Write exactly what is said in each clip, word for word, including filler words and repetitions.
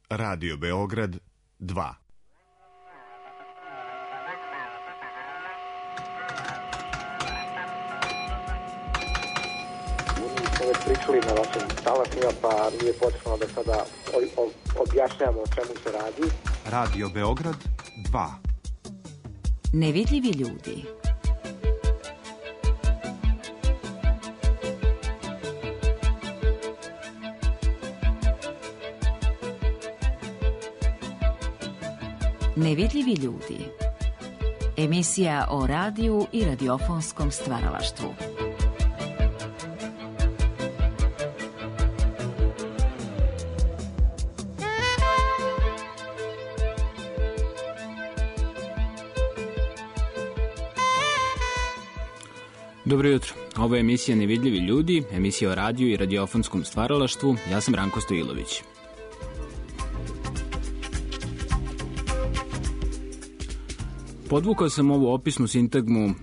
Radio Beograd dva. Već pričali na vašim talasima, pa nije potrebno da sada objašnjamo o čemu se radi. Radio Beograd dva. Nevidljivi ljudi. Nevidljivi ljudi. Emisija o radiju i radiofonskom stvaralaštvu. Dobro jutro. Ovo je emisija Nevidljivi ljudi, emisija o radiju i radiofonskom stvaralaštvu. Ja sam Ranko Stojilović. Podvukao sam ovu opisnu sintagmu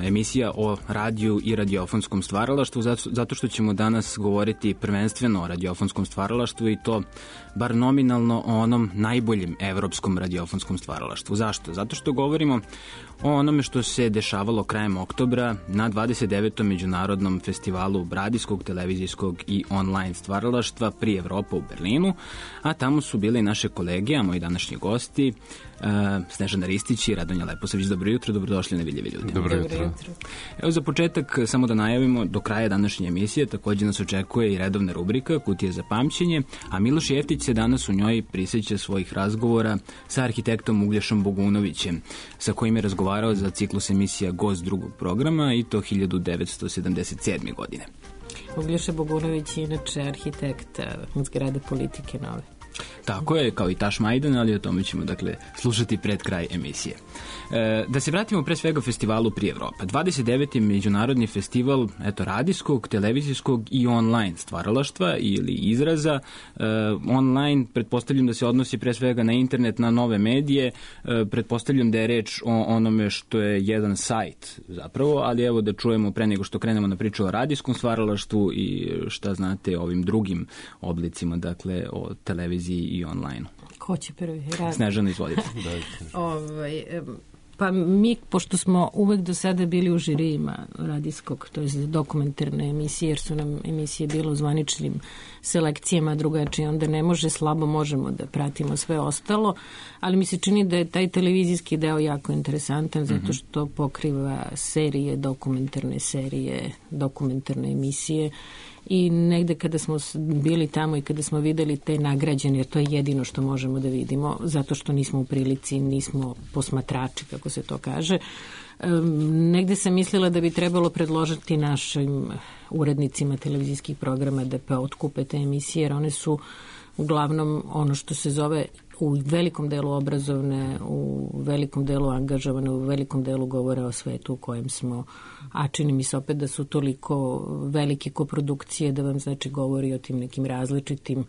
emisija o radiju i radiofonskom stvaralaštvu zato što ćemo danas govoriti prvenstveno o radiofonskom stvaralaštvu i to bar nominalno o onom najboljem evropskom radiofonskom stvaralaštvu. Zašto? Zato što govorimo o onome što se dešavalo krajem oktobra na dvadeset devetom međunarodnom festivalu radijskog, televizijskog i online stvaralaštva pri Evropa u Berlinu, a tamo su bili naše kolege, a moji današnji gosti, uh, Snežana Ristić i Radonja Leposavić. Dobro jutro, dobrodošli Nevidljivi ljudi. Dobro jutro. Evo za početak samo da najavimo, do kraja današnje emisije također nas očekuje i redovna rubrika Kutije za pamćenje, a Miloš Jeftić se danas u njoj prisjeća svojih razgovora sa arhitektom Uglješom Bogunovićem, sa kojim je razgovarao za ciklus emisija Gost drugog programa i to hiljadu devetsto sedamdeset sedme. godine. Uglješa Bogunović je inače arhitekt zgrade Politike Nove. Tako je, kao i Taš Majdan, ali o tome ćemo dakle slušati pred kraj emisije. E, da se vratimo pre svega festivalu pri Evropa. dvadeset deveti međunarodni festival eto, radijskog, televizijskog i online stvaralaštva ili izraza. E, online, pretpostavljam da se odnosi pre svega na internet, na nove medije. E, pretpostavljam da je reč o onome što je jedan sajt zapravo, ali evo da čujemo pre nego što krenemo na priču o radijskom stvaralaštvu i šta znate o ovim drugim oblicima, dakle o televiziji i online. Ko će prvi? Rad. Snežana, izvolite. ovaj, pa mi, pošto smo uvek do sada bili u žirijima radijskog, to je dokumentarne emisije, jer su nam emisije bile u zvaničnim selekcijama drugačije, onda ne može, slabo možemo da pratimo sve ostalo, ali mi se čini da je taj televizijski deo jako interesantan, zato što pokriva serije, dokumentarne serije, dokumentarne emisije. I negde kada smo bili tamo i kada smo videli te nagrađene, jer to je jedino što možemo da vidimo, zato što nismo u prilici, nismo posmatrači, kako se to kaže, negde sam mislila da bi trebalo predložiti našim urednicima televizijskih programa da pa otkupe te emisije, jer one su uglavnom ono što se zove u velikom delu obrazovne, u velikom delu angažovane, u velikom delu govore o svetu u kojem smo, a čini mi se opet da su toliko velike koprodukcije da vam znači govori o tim nekim različitim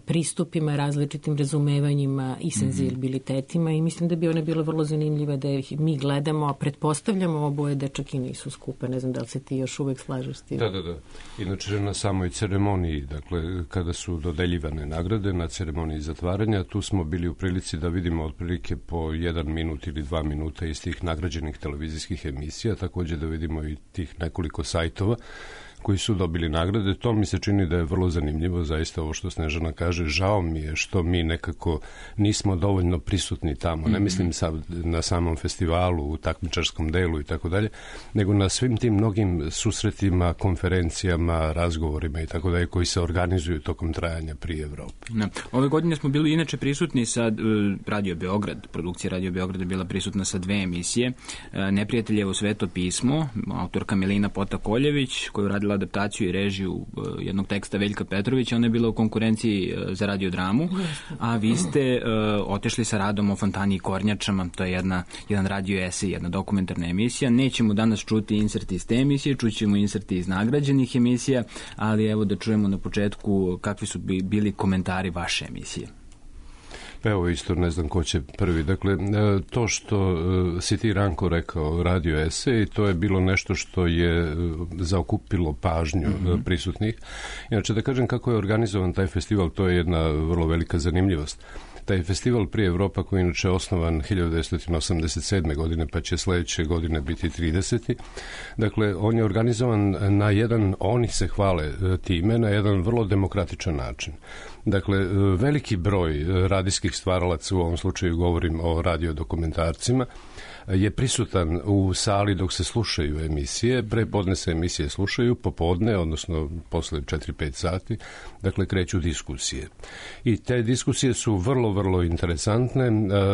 pristupima, različitim razumevanjima i senzibilitetima i mislim da bi one bilo vrlo zanimljive da ih mi gledamo, a pretpostavljamo oboje da čak i nisu skupe. Ne znam da li se ti još uvek slažeš s tim. Da, da, da. Inače na samoj ceremoniji, dakle, kada su dodeljivane nagrade na ceremoniji zatvaranja, tu smo bili u prilici da vidimo otprilike po jedan minut ili dva minuta iz tih nagrađenih televizijskih emisija, također da vidimo i tih nekoliko sajtova koji su dobili nagrade. To mi se čini da je vrlo zanimljivo, zaista ovo što Snežana kaže. Žao mi je što mi nekako nismo dovoljno prisutni tamo. Ne mislim sad na samom festivalu, u takmičarskom delu i tako dalje, nego na svim tim mnogim susretima, konferencijama, razgovorima i tako dalje koji se organizuju tokom trajanja pri Evropi. Ne. Ove godine smo bili inače prisutni sa uh, Radio Beograd. Produkcija Radio Beograd je bila prisutna sa dve emisije. Uh, Neprijateljevo sveto pismo, autorka Milina Potakoljević, koju radila adaptaciju i režiju uh, jednog teksta Veljka Petrovića. Ona je bila u konkurenciji uh, za radiodramu, a vi ste uh, otešli sa radom o Fontani i kornjačama. To je jedna, jedan radio esej, jedna dokumentarna emisija. Nećemo danas čuti inserti iz te emisije, čućemo inserti iz nagrađenih emisija, ali evo da čujemo na početku kakvi su bili komentari vaše emisije. Pa evo isto ne znam ko će prvi. Dakle, to što si ti, Ranko, rekao, radio esej, to je bilo nešto što je zaokupilo pažnju mm-hmm. prisutnih. Inače, da kažem kako je organizovan taj festival, to je jedna vrlo velika zanimljivost. Taj festival Prije Evropa, koji je inače osnovan hiljadu devetsto osamdeset sedme. godine, pa će sledeće godine biti tridesete. Dakle, on je organizovan na jedan, oni se hvale time, na jedan vrlo demokratičan način. Dakle, veliki broj radijskih stvaralaca, u ovom slučaju govorim o radiodokumentarcima, je prisutan u sali dok se slušaju emisije. Prepodne se emisije slušaju, popodne, odnosno posle četiri pet sati, dakle kreću diskusije. I te diskusije su vrlo, vrlo interesantne.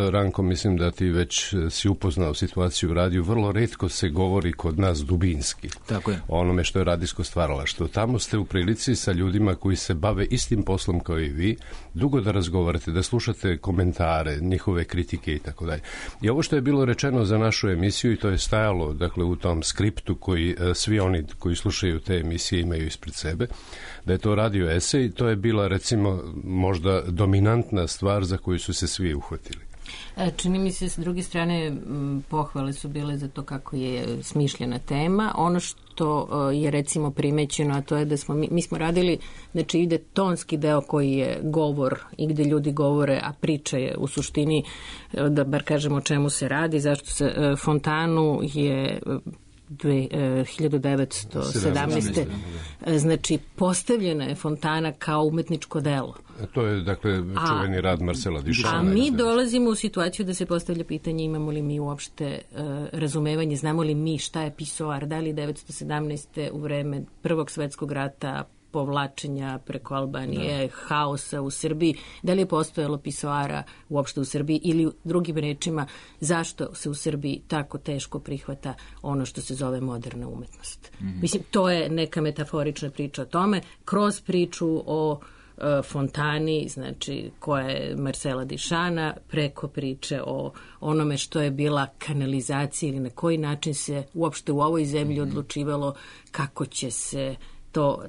Ranko, mislim da ti već si upoznao situaciju u radiju. Vrlo retko se govori kod nas dubinski. Tako je. O onome što je radijsko stvaralaštvo. Tamo ste u prilici sa ljudima koji se bave istim poslom kao i vi, dugo da razgovarate, da slušate komentare, njihove kritike i tako dalje. I ovo što je bilo rečeno za našu emisiju, i to je stajalo, dakle, u tom skriptu koji svi oni koji slušaju te emisije imaju ispred sebe, da je to radio esej, to je bila, recimo, možda dominantna stvar za koju su se svi uhvatili. Čini mi se, s druge strane, pohvale su bile za to kako je smišljena tema. Ono što je, recimo, primećeno, a to je da smo, mi, mi smo radili, znači ide tonski deo koji je govor i gde ljudi govore, a priča je u suštini, da bar kažemo o čemu se radi, zašto se Fontanu je hiljadu devetsto sedamnaeste. Znači, postavljena je Fontana kao umetničko delo. To je, dakle, čuveni a, rad Marcela Duchampa. A mi dolazimo u situaciju da se postavlja pitanje imamo li mi uopšte uh, razumevanje, znamo li mi šta je pisoar, da li devetsto sedamnaeste. u vreme Prvog svetskog rata, povlačenja preko Albanije, da. haosa u Srbiji, da li je postojalo pisoara uopšte u Srbiji ili drugim rečima zašto se u Srbiji tako teško prihvata ono što se zove moderna umetnost. Mm-hmm. Mislim, to je neka metaforična priča o tome, kroz priču o Fontani, znači koja je Marcela Duchampa, preko priče o onome što je bila kanalizacija ili na koji način se uopšte u ovoj zemlji odlučivalo kako će se to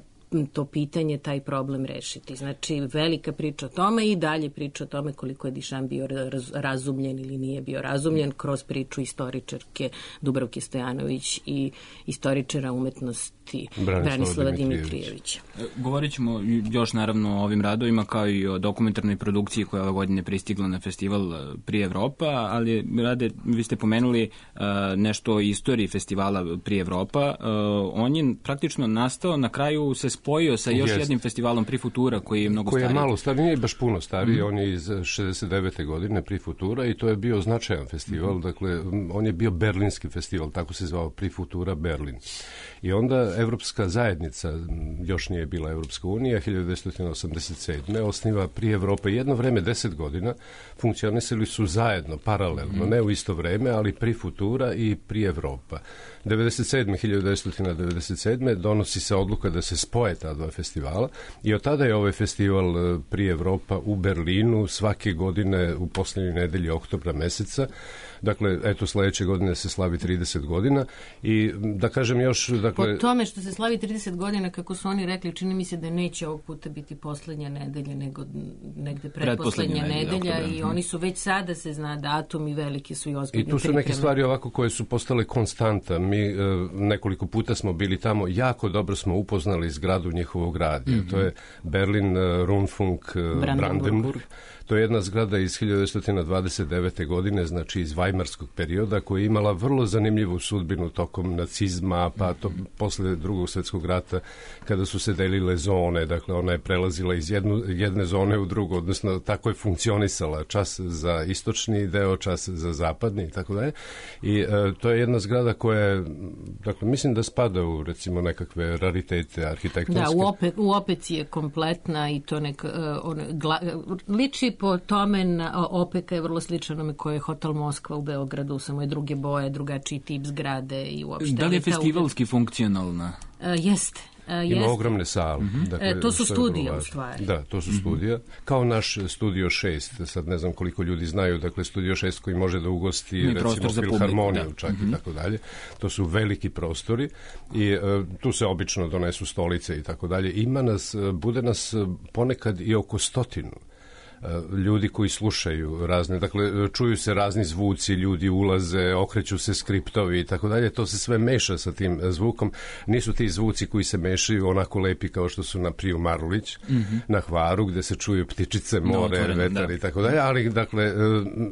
to pitanje, taj problem rešiti. Znači, velika priča o tome i dalje priča o tome koliko je Duchamp bio raz, razumljen ili nije bio razumljen kroz priču istoričarke Dubravke Stojanović i istoričara umetnosti Branislava, Branislava Dimitrijevića. Govorit ćemo još naravno o ovim radovima kao i o dokumentarnoj produkciji koja ove godine pristigla na festival Prije Evropa, ali Rade, vi ste pomenuli uh, nešto o istoriji festivala Prije Evropa. Uh, on je praktično nastao, na kraju se spojio sa još Jest. jednim festivalom Pri Futura koji je mnogo stariji. Koji je malo stariji, nije baš puno stariji, mm. on je iz šezdeset devete. godine Pri Futura i to je bio značajan festival, mm. dakle on je bio berlinski festival, tako se zvao Pri Futura Berlin. I onda Evropska zajednica, još nije bila Evropska unija, hiljadu devetsto osamdeset sedme. osniva Prije Evrope. Jedno vreme, deset godina, funkcionisali su zajedno, paralelno, mm. ne u isto vreme, ali Pri Futura i Prije Evropa. devedeset sedme. hiljadu devetsto devedeset sedme. donosi se odluka da se spoje ta dva festivala i od tada je ovaj festival Prije Evropa u Berlinu svake godine u poslednjoj nedelji oktobra meseca. Dakle, eto, sledeće godine se slavi trideset godina i da kažem još... Dakle... Po tome što se slavi trideset godina, kako su oni rekli, čini mi se da neće ovog puta biti poslednja nedelja, nego negde pretposlednja nedelja nedelja i oni su već sada se zna datum i velike su i ozbiljne pripreme. I tu su pripreme. neke stvari ovako koje su postale konstanta. Mi e, nekoliko puta smo bili tamo, jako dobro smo upoznali zgradu njihovog radija. Mm-hmm. To je Berlin uh, Rundfunk uh, Brandenburg. Brandenburg. To je jedna zgrada iz hiljadu devetsto dvadeset devete. godine, znači iz Vajmarskog perioda, koja je imala vrlo zanimljivu sudbinu tokom nacizma, pa to posle drugog svjetskog rata, kada su se delile zone, dakle ona je prelazila iz jednu, jedne zone u drugu, odnosno tako je funkcionisala, čas za istočni deo, čas za zapadni i tako dalje. I e, to je jedna zgrada koja je, dakle, mislim da spada u, recimo, nekakve raritete arhitektonske. Da, u, ope, u opeci je kompletna i to neka, uh, on, gla, liči po tome na, opeka je vrlo sličan onome koje je Hotel Moskva u Beogradu, samo je druge boje, drugačiji tip zgrade i uopšte. Da li je festivalski funkcionalna? Uh, jeste. Uh, Ima jest. ogromne sale. Mm-hmm. Dakle, e, to su studije, u stvari. Da, to su studija. Mm-hmm. Kao naš Studio šest, sad ne znam koliko ljudi znaju, dakle Studio šest koji može da ugosti, I recimo, filharmoniju, da. čak mm-hmm. i tako dalje. To su veliki prostori i uh, tu se obično donesu stolice i tako dalje. Ima nas, bude nas ponekad i oko stotinu. ljudi koji slušaju razne, dakle čuju se razni zvuci, ljudi ulaze, okreću se skriptovi i tako dalje, to se sve meša sa tim zvukom. Nisu ti zvuci koji se mešaju onako lepi kao što su na Priju Marulić, mm-hmm. na Hvaru, gde se čuju ptičice, more, no, vetar da. i tako dalje, ali dakle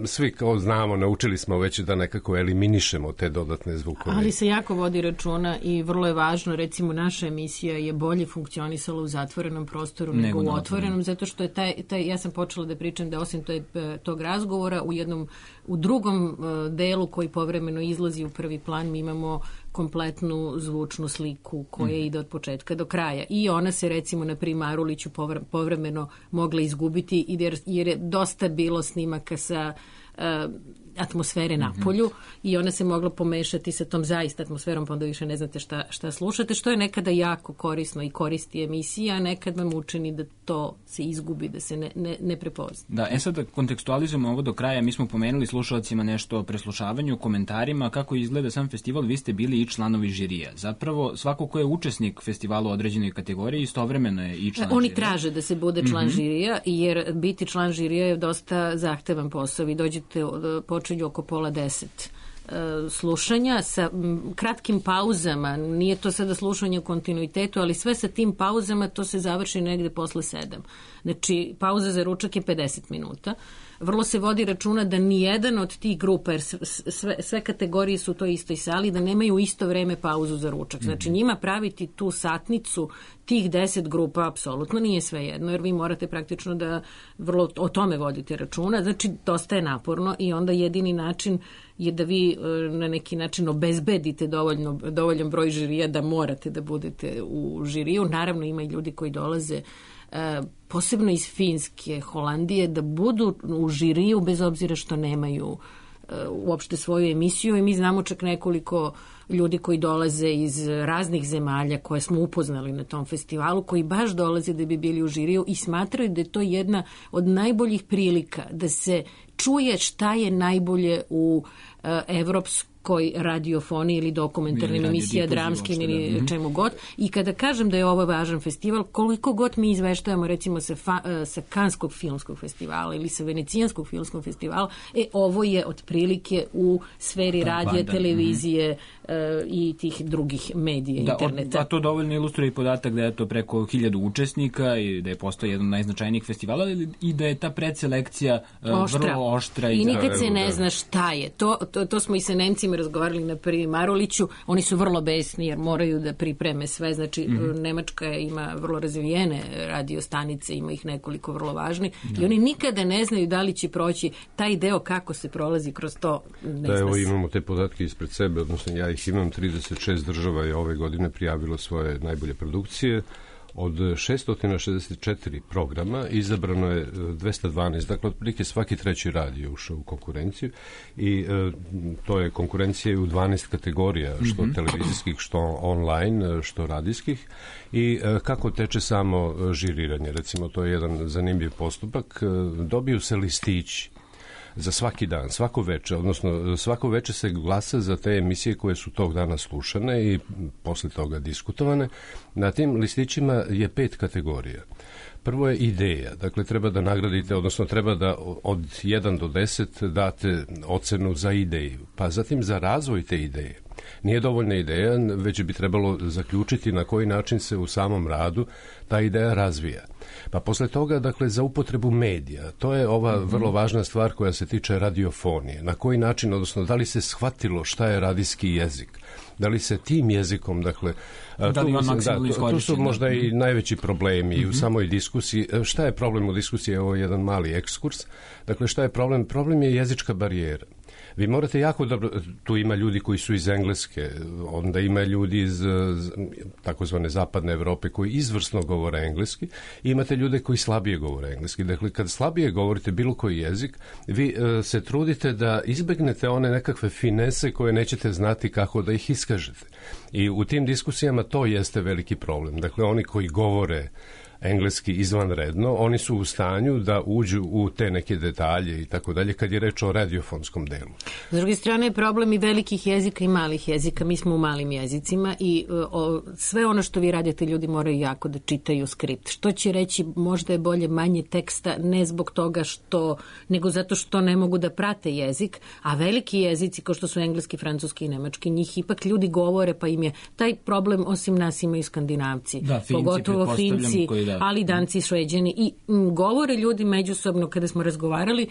svi kao znamo, naučili smo već da nekako eliminišemo te dodatne zvukove. Ali se jako vodi računa i vrlo je važno, recimo naša emisija je bolje funkcionisala u zatvorenom prostoru nego, nego u otvorenom, zato što je taj, taj, ja sam počela da pričam da osim toj, tog razgovora u jednom, u drugom delu koji povremeno izlazi u prvi plan, mi imamo kompletnu zvučnu sliku koja mm. ide od početka do kraja. I ona se recimo na Priji Maruliću povremeno mogla izgubiti jer, jer je dosta bilo snimaka sa uh, atmosfere na polju mm-hmm. i ona se mogla pomešati sa tom zaista atmosferom, pa onda više ne znate šta, šta slušate, što je nekada jako korisno i koristi emisija, a nekad vam učini da to se izgubi, da se ne, ne, ne prepozna. Da, e sad da kontekstualizujemo ovo do kraja, mi smo pomenuli slušalcima nešto o preslušavanju, komentarima, kako izgleda sam festival, vi ste bili i članovi žirija. Zapravo, svako ko je učesnik festivala u određenoj kategoriji, istovremeno je i član Oni žirija. traže da se bude član mm-hmm. žirija, jer biti član žirija je dosta zahtevan posao. Vi dođete, počinju oko pola deset slušanja sa kratkim pauzama, nije to sada slušanje u kontinuitetu, ali sve sa tim pauzama to se završi negde posle sedam. Znači, pauza za ručak je pedeset minuta. Vrlo se vodi računa da nijedan od tih grupa, jer sve, sve kategorije su u toj istoj sali, da nemaju isto vreme pauzu za ručak. Znači, njima praviti tu satnicu tih deset grupa apsolutno nije sve jedno, jer vi morate praktično da vrlo o tome vodite računa. Znači, dosta je naporno i onda jedini način je da vi na neki način obezbedite dovoljno, dovoljan broj žirija da morate da budete u žiriju. Naravno, ima i ljudi koji dolaze Uh, posebno iz Finske, Holandije, da budu u žiriju bez obzira što nemaju uh, uopšte svoju emisiju i mi znamo čak nekoliko ljudi koji dolaze iz raznih zemalja koje smo upoznali na tom festivalu, koji baš dolaze da bi bili u žiriju i smatraju da je to jedna od najboljih prilika da se čuje šta je najbolje u uh, evropskoj radiofoniji ili dokumentarnim emisija, dramskim ili da. čemu god. I kada kažem da je ovo važan festival, koliko god mi izveštavamo recimo sa, fa, sa Kanskog filmskog festivala ili sa Venecijanskog filmskog festivala, e, ovo je otprilike u sferi radija, televizije mm-hmm. uh, i tih drugih medija, da, interneta. A to dovoljno ilustruje i podatak da je to preko hiljadu učesnika i da je postao jedan od najznačajnijih festivala i da je ta predselekcija uh, oštra. vrlo oštra. I, I nikad da, se ne da. zna šta je. To, to, to smo i sa Nemcima razgovarali na Priji Maruliću, oni su vrlo besni jer moraju da pripreme sve, znači mm-hmm. Nemačka ima vrlo razvijene radio stanice, ima ih nekoliko vrlo važnih da. i oni nikada ne znaju da li će proći taj deo kako se prolazi kroz to. Ne da, evo imamo te podatke ispred sebe, odnosno ja ih imam, trideset šest država je ove godine prijavilo svoje najbolje produkcije. Od šesto šezdeset četiri programa izabrano je dvesta dvanaest, dakle otprilike svaki treći radio ušao u konkurenciju i e, to je konkurencija u dvanaest kategorija, što mm-hmm. televizijskih, što online, što radijskih i e, kako teče samo žiriranje. Recimo, to je jedan zanimljiv postupak. E, dobiju se listići za svaki dan, svako veče, odnosno svako veče se glasa za te emisije koje su tog dana slušane i posle toga diskutovane. Na tim listićima je pet kategorija. Prvo je ideja, dakle treba da nagradite, odnosno treba da od jedan do deset date ocenu za ideju, pa zatim za razvoj te ideje. Nije dovoljna ideja, već bi trebalo zaključiti na koji način se u samom radu ta ideja razvija. Pa posle toga, dakle, za upotrebu medija, to je ova mm-hmm. vrlo važna stvar koja se tiče radiofonije. Na koji način, odnosno, da li se shvatilo šta je radijski jezik? Da li se tim jezikom, dakle, da li tu, on maksimalno da, tu, tu su možda da. i najveći problemi mm-hmm. u samoj diskusiji. Šta je problem u diskusiji? Ovo je jedan mali ekskurs. Dakle, šta je problem? Problem je jezička barijera. Vi morate jako dobro, tu ima ljudi koji su iz Engleske, onda ima ljudi iz takozvane zapadne Evrope koji izvrsno govore engleski i imate ljude koji slabije govore engleski. Dakle, kad slabije govorite bilo koji jezik, vi uh, se trudite da izbegnete one nekakve finese koje nećete znati kako da ih iskažete. I u tim diskusijama to jeste veliki problem. Dakle, oni koji govore engleski izvanredno, oni su u stanju da uđu u te neke detalje i tako dalje, kad je reč o radiofonskom delu. S druge strane je problem i velikih jezika i malih jezika. Mi smo u malim jezicima i o, sve ono što vi radite, ljudi moraju jako da čitaju skript. Što će reći, možda je bolje manje teksta, ne zbog toga što, nego zato što ne mogu da prate jezik, a veliki jezici, kao što su engleski, francuski i nemački, njih ipak ljudi govore, pa im je taj problem, osim nas, imaju Skandinavci. Da, Finci, pogotovo Finci, koji, da. Ali Danci, Šveđani i m, govore ljudi međusobno kada smo razgovarali,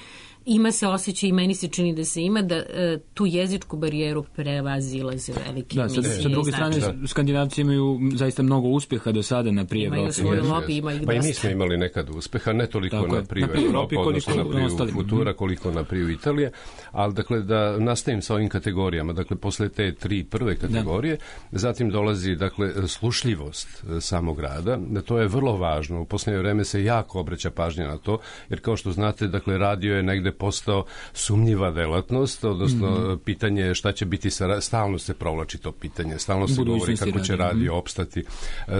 ima se osjećaj i meni se čini da se ima da e, tu jezičku barijeru prevazilaze velike da, emisije. Sa, sa druge strane, da. Skandinavci imaju zaista mnogo uspeha do sada na prije Evropi. Imaju svoju lobi, ima ih dosta. Pa i mi smo imali nekad uspeha, ne toliko Tako na prije Evropi, odnosno na prije Futura, koliko na prije Italije, ali dakle da nastavim sa ovim kategorijama, dakle posle te tri prve kategorije, da. Zatim dolazi dakle slušljivost samog rada, to je vrlo važno, u posljednje vreme se jako obraća pažnja na to, jer kao što znate, dakle radio je negde postao sumnjiva delatnost, odnosno mm-hmm. pitanje je šta će biti, sa, stalno se provlači to pitanje, stalno se govori kako će radio opstati.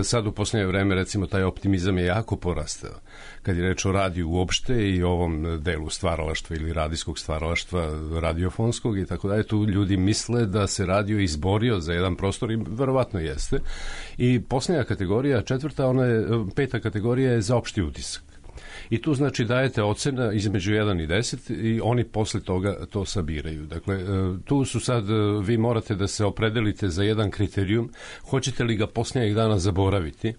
Sad u posljednje vreme, recimo, taj optimizam je jako porastao. Kad je reč o radiju uopšte i ovom delu stvaralaštva ili radijskog stvaralaštva, radiofonskog i tako dalje, tu ljudi misle da se radio izborio za jedan prostor i verovatno jeste. I posljednja kategorija, četvrta, ona je, peta kategorija je za opšti utisak. I tu znači dajete ocena između jedan i deset i oni posle toga to sabiraju. Dakle, tu su sad, vi morate da se opredelite za jedan kriterijum, hoćete li ga posljednjeg dana zaboraviti,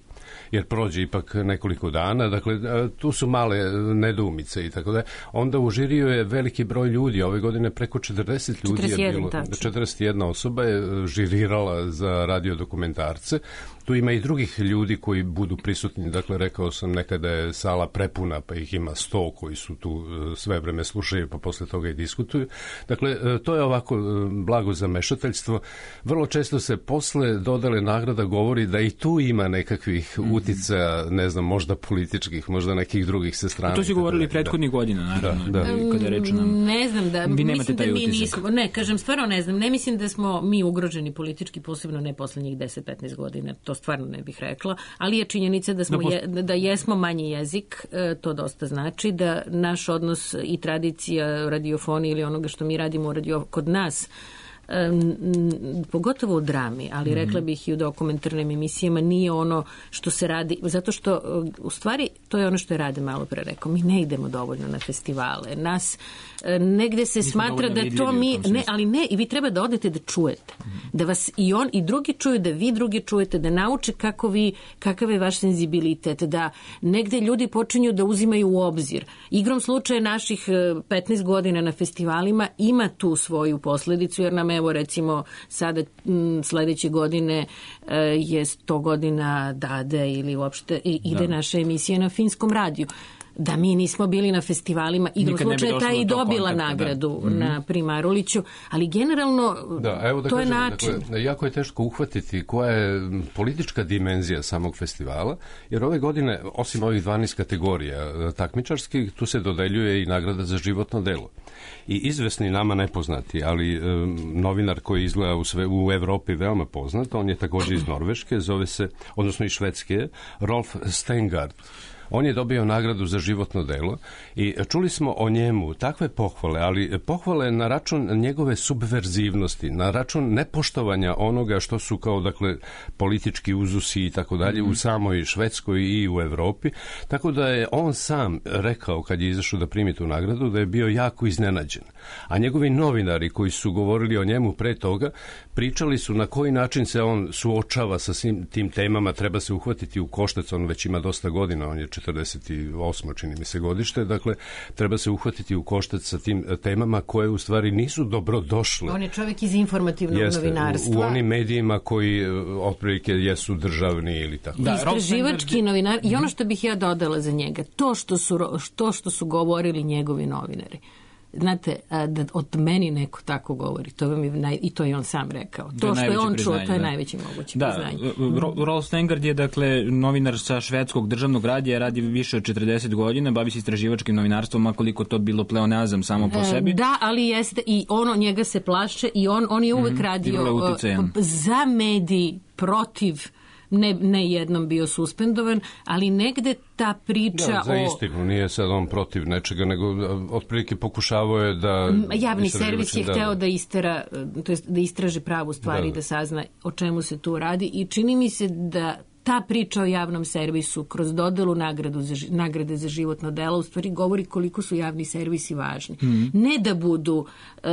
jer prođe ipak nekoliko dana, dakle, tu su male nedoumice i tako da. Onda u žiriju je veliki broj ljudi, ove godine preko četrdeset ljudi četrdeset jedan, je bilo, tačno. četrdeset jedna osoba je žirirala za radiodokumentarce. Tu ima i drugih ljudi koji budu prisutni, dakle, rekao sam nekada je sala prepuna, pa ih ima sto koji su tu sve vreme slušaju, pa posle toga i diskutuju. Dakle, to je ovako blago zamešateljstvo. Vrlo često se posle dodale nagrada govori da i tu ima nekakvih uticaja, ne znam, možda političkih, možda nekih drugih sa strane. A to si govorili da, prethodnih godina, naravno. Da, da. Kada reč nam... Ne znam da, vi mislim da mi utisak. nismo, ne, kažem, stvarno ne znam, ne mislim da smo mi ugroženi politički, posebno ne poslednjih deset do petnaest godina, to stvarno ne bih rekla, ali je činjenica da, smo da, je, da jesmo manji jezik, to dosta znači, da naš odnos i tradicija radiofonije ili onoga što mi radimo u radio, kod nas, Um, pogotovo u drami, ali rekla bih i u dokumentarnim emisijama, nije ono što se radi, zato što u stvari to je ono što je Rade malo pre rekao, mi ne idemo dovoljno na festivale, nas negde se smatra da to mi, ne, ali ne, i vi treba da odete da čujete, da vas i on i drugi čuju, da vi drugi čujete, da nauče kako vi, kakav je vaš senzibilitet, da negde ljudi počinju da uzimaju u obzir. Igrom slučaja naših petnaest godina na festivalima ima tu svoju posledicu, jer nam evo recimo sada m, sledeće godine e, je sto godina Dade ili uopšte i, ide da. Naša emisija na finskom radiju. Da mi nismo bili na festivalima, igrom slučaja ta i dobila kontakta, nagradu da. Na Primaruliću, ali generalno da, evo da to kažem, je način. Dakle, jako je teško uhvatiti koja je politička dimenzija samog festivala, jer ove godine, osim ovih dvanaest kategorija takmičarskih, tu se dodeljuje i nagrada za životno delo. I izvesni nama nepoznati, ali um, novinar koji izgleda u, sve, u Evropi veoma poznat, on je također iz Norveške, zove se, odnosno iz Švedske, Rolf Stengard. On je dobio nagradu za životno delo i čuli smo o njemu takve pohvale, ali pohvale na račun njegove subverzivnosti, na račun nepoštovanja onoga što su kao, dakle, politički uzusi i tako dalje u samoj Švedskoj i u Evropi. Tako da je on sam rekao, kad je izašao da primi tu nagradu, da je bio jako iznenađen. A njegovi novinari koji su govorili o njemu pre toga, pričali su na koji način se on suočava sa svim tim temama, treba se uhvatiti u koštac, on već ima dosta godina, on je četrdeset osmo čini mi se godište, dakle treba se uhvatiti u koštac sa tim temama koje u stvari nisu dobro došle. On je čovjek iz informativnog Jeste, novinarstva. U, u onim medijima koji otprilike jesu državni ili tako. Da, istraživački novinar i ono što bih ja dodala za njega, to što su, to što su govorili njegovi novinari. Znate, da od meni neko tako govori, to vam je naj, i to je on sam rekao. To što je on čuo, to je da. najveće moguće da, priznanje. Rolf Stengard je, dakle, novinar sa švedskog državnog radija, radi više od četrdeset godina, bavi se istraživačkim novinarstvom, makoliko to bilo pleonazam samo po sebi. Da, ali jeste, i ono njega se plaše i on, on je uvek mm, radio za mediji, protiv ne, ne jednom bio suspendovan, ali negde ta priča da, za o... istinu, nije sad on protiv nečega, nego otprilike pokušavao je da... Javni servis je da, hteo da istera, to jest da istraži pravu stvar i da. da sazna o čemu se tu radi i čini mi se da ta priča o javnom servisu kroz dodelu nagradu za, nagrade za životno delo u stvari govori koliko su javni servisi važni. Mm. Ne da budu e,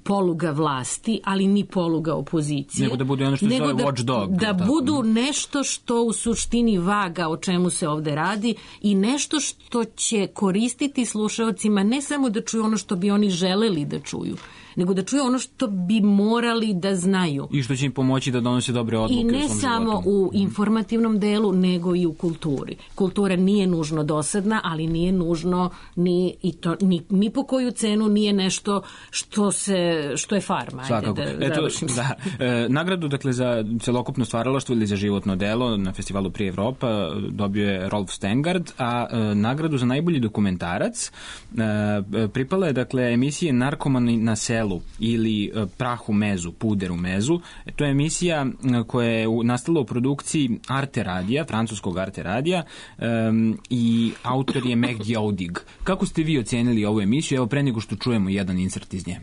poluga vlasti, ali ni poluga opozicije. Nego da budu ono što se zove watchdog. Da, da budu nešto što u suštini vaga o čemu se ovde radi i nešto što će koristiti slušaocima ne samo da čuju ono što bi oni želeli da čuju, nego da čuju ono što bi morali da znaju. I što će im pomoći da donose dobre odluke u svom životu. I ne samo u informativnom delu, nego i u kulturi. Kultura nije nužno dosadna, ali nije nužno ni, i to, ni, ni po koju cenu nije nešto što, se, što je farma. Svakako. Da Eto, da, e, nagradu dakle, za celokupno stvaralaštvo ili za životno delo na festivalu Prije Evropa dobio je Rolf Stengard, a e, nagradu za najbolji dokumentarac e, pripala je dakle, emisije Narkomani na selu ili Prah u mezu, Puder u mezu. To je emisija koja je nastala u produkciji Arte Radija, francuskog Arte Radija um, i autor je Meg Jaudig. Kako ste vi ocenili ovu emisiju? Evo pre nego što čujemo jedan insert iz nje.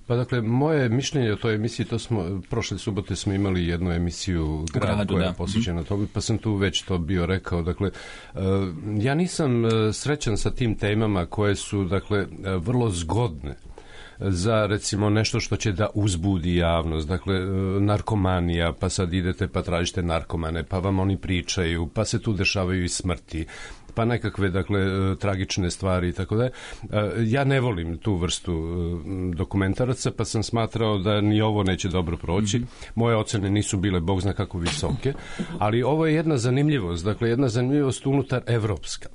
Pa dakle, moje mišljenje o toj emisiji, to smo, prošle subote smo imali jednu emisiju Grad Gradu, koja je posvećena toga, pa sam tu već to bio rekao. Dakle, ja nisam srećan sa tim temama koje su, dakle, vrlo zgodne za recimo nešto što će da uzbudi javnost, dakle narkomanija, pa sad idete pa tražite narkomane, pa vam oni pričaju, pa se tu dešavaju i smrti, pa nekakve, dakle, tragične stvari i tako da. Ja ne volim tu vrstu dokumentaraca, pa sam smatrao da ni ovo neće dobro proći. Moje ocene nisu bile bog zna kako visoke, ali ovo je jedna zanimljivost, dakle, jedna zanimljivost unutar evropska.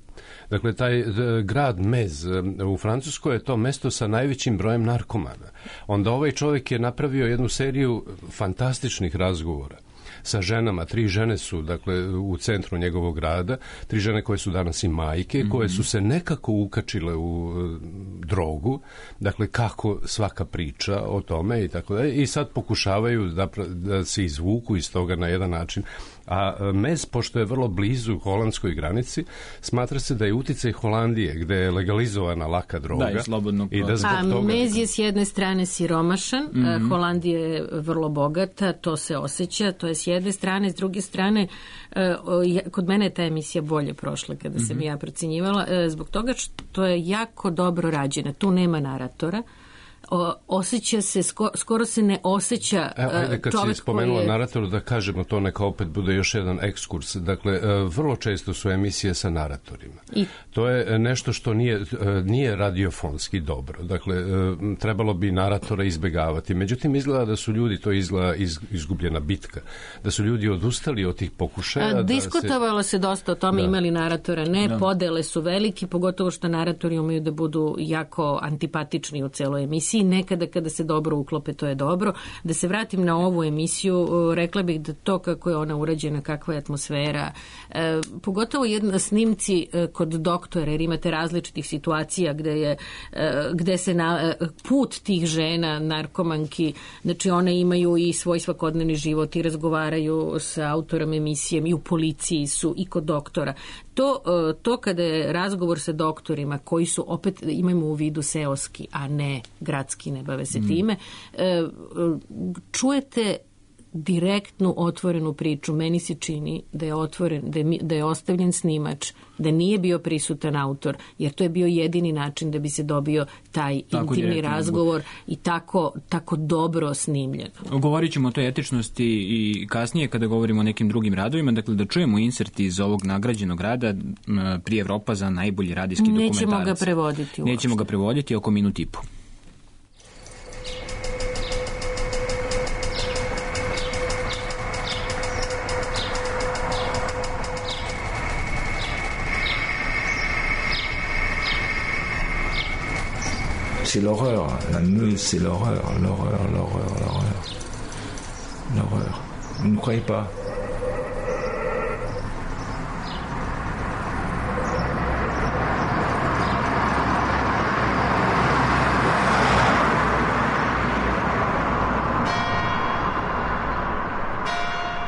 Dakle, taj grad Mez u Francuskoj je to mesto sa najvećim brojem narkomana. Onda ovaj čovjek je napravio jednu seriju fantastičnih razgovora sa ženama. Tri žene su, dakle, u centru njegovog grada, tri žene koje su danas i majke, mm-hmm. koje su se nekako ukačile u uh, drogu, dakle, kako svaka priča o tome i tako da, i sad pokušavaju da, da se izvuku iz toga na jedan način. A Mez, pošto je vrlo blizu holandskoj granici, smatra se da je uticaj Holandije, gde je legalizovana laka droga. Da, i slobodno. I da A toga... Mez je s jedne strane siromašan, mm-hmm. Holandija je vrlo bogata, to se osjeća, to je s jedne strane, s druge strane, kod mene je ta emisija bolje prošla kada sam mm-hmm. ja procenjivala, zbog toga što je jako dobro rađena. Tu nema naratora. O, osjeća se, sko, skoro se ne osjeća Evo, ajde, kad čovjek si spomenula je... naratoru, da kažemo to, neka opet bude još jedan ekskurs. Dakle, vrlo često su emisije sa naratorima. I... To je nešto što nije, nije radiofonski dobro. Dakle, trebalo bi naratora izbegavati. Međutim, izgleda da su ljudi, to izgleda iz, izgubljena bitka, da su ljudi odustali od tih pokušaja. A, diskutovalo da se... se dosta o tome, da. Imali naratora, ne, da. Podele su veliki, pogotovo što naratori umeju da budu jako antipatični u celoj emisiji. Nekada kada se dobro uklope, to je dobro. Da se vratim na ovu emisiju, rekla bih da to kako je ona urađena, kakva je atmosfera, e, pogotovo jedna snimci e, kod doktora, jer imate različitih situacija gde je e, gde se na e, put tih žena, narkomanki, znači one imaju i svoj svakodnevni život i razgovaraju sa autorom emisije i u policiji su i kod doktora. To, to kada je razgovor sa doktorima koji su opet, imamo u vidu seoski, a ne gradski, ne bave se time, čujete direktnu otvorenu priču. Meni se čini da je otvoren, da je, da je ostavljen snimač, da nije bio prisutan autor, jer to je bio jedini način da bi se dobio taj tako intimni razgovor i tako, tako dobro snimljen. Govorit ćemo o toj etičnosti i kasnije kada govorimo o nekim drugim radovima, dakle da čujemo insert iz ovog nagrađenog rada Prije Evropa za najbolji radijski dokumentarac. Nećemo ga prevoditi uopšte. Nećemo ga prevoditi, oko minut i po. C'est l'horreur, la Meuse, c'est l'horreur, l'horreur, l'horreur, l'horreur. L'horreur. Vous ne croyez pas?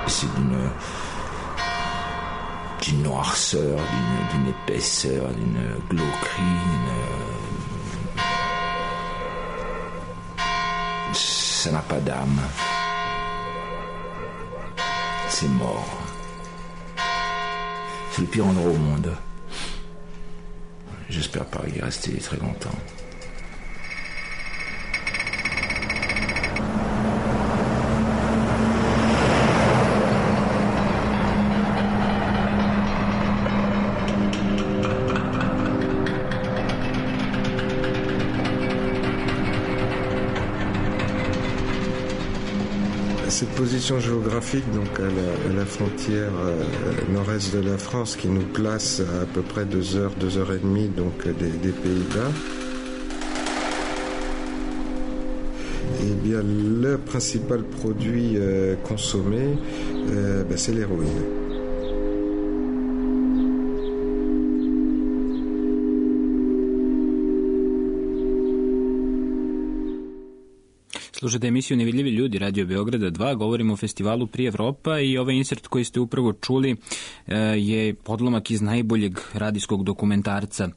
C'est d'une... d'une noirceur, d'une, d'une épaisseur, d'une glauquerie, d'une... Ça n'a pas d'âme. C'est mort. C'est le pire endroit au monde. J'espère pas y rester très longtemps. Cette position géographique, donc à la, à la frontière euh, nord-est de la France, qui nous place à à peu près deux heures, deux heures et demie donc des, des Pays-Bas, eh bien le principal produit euh, consommé, euh, ben, c'est l'héroïne. Slušate emisiju Nevidljivi ljudi Radio Beograda dva, govorimo o festivalu Pri Evropa i ovaj insert koji ste upravo čuli je podlomak iz najboljeg radijskog dokumentarca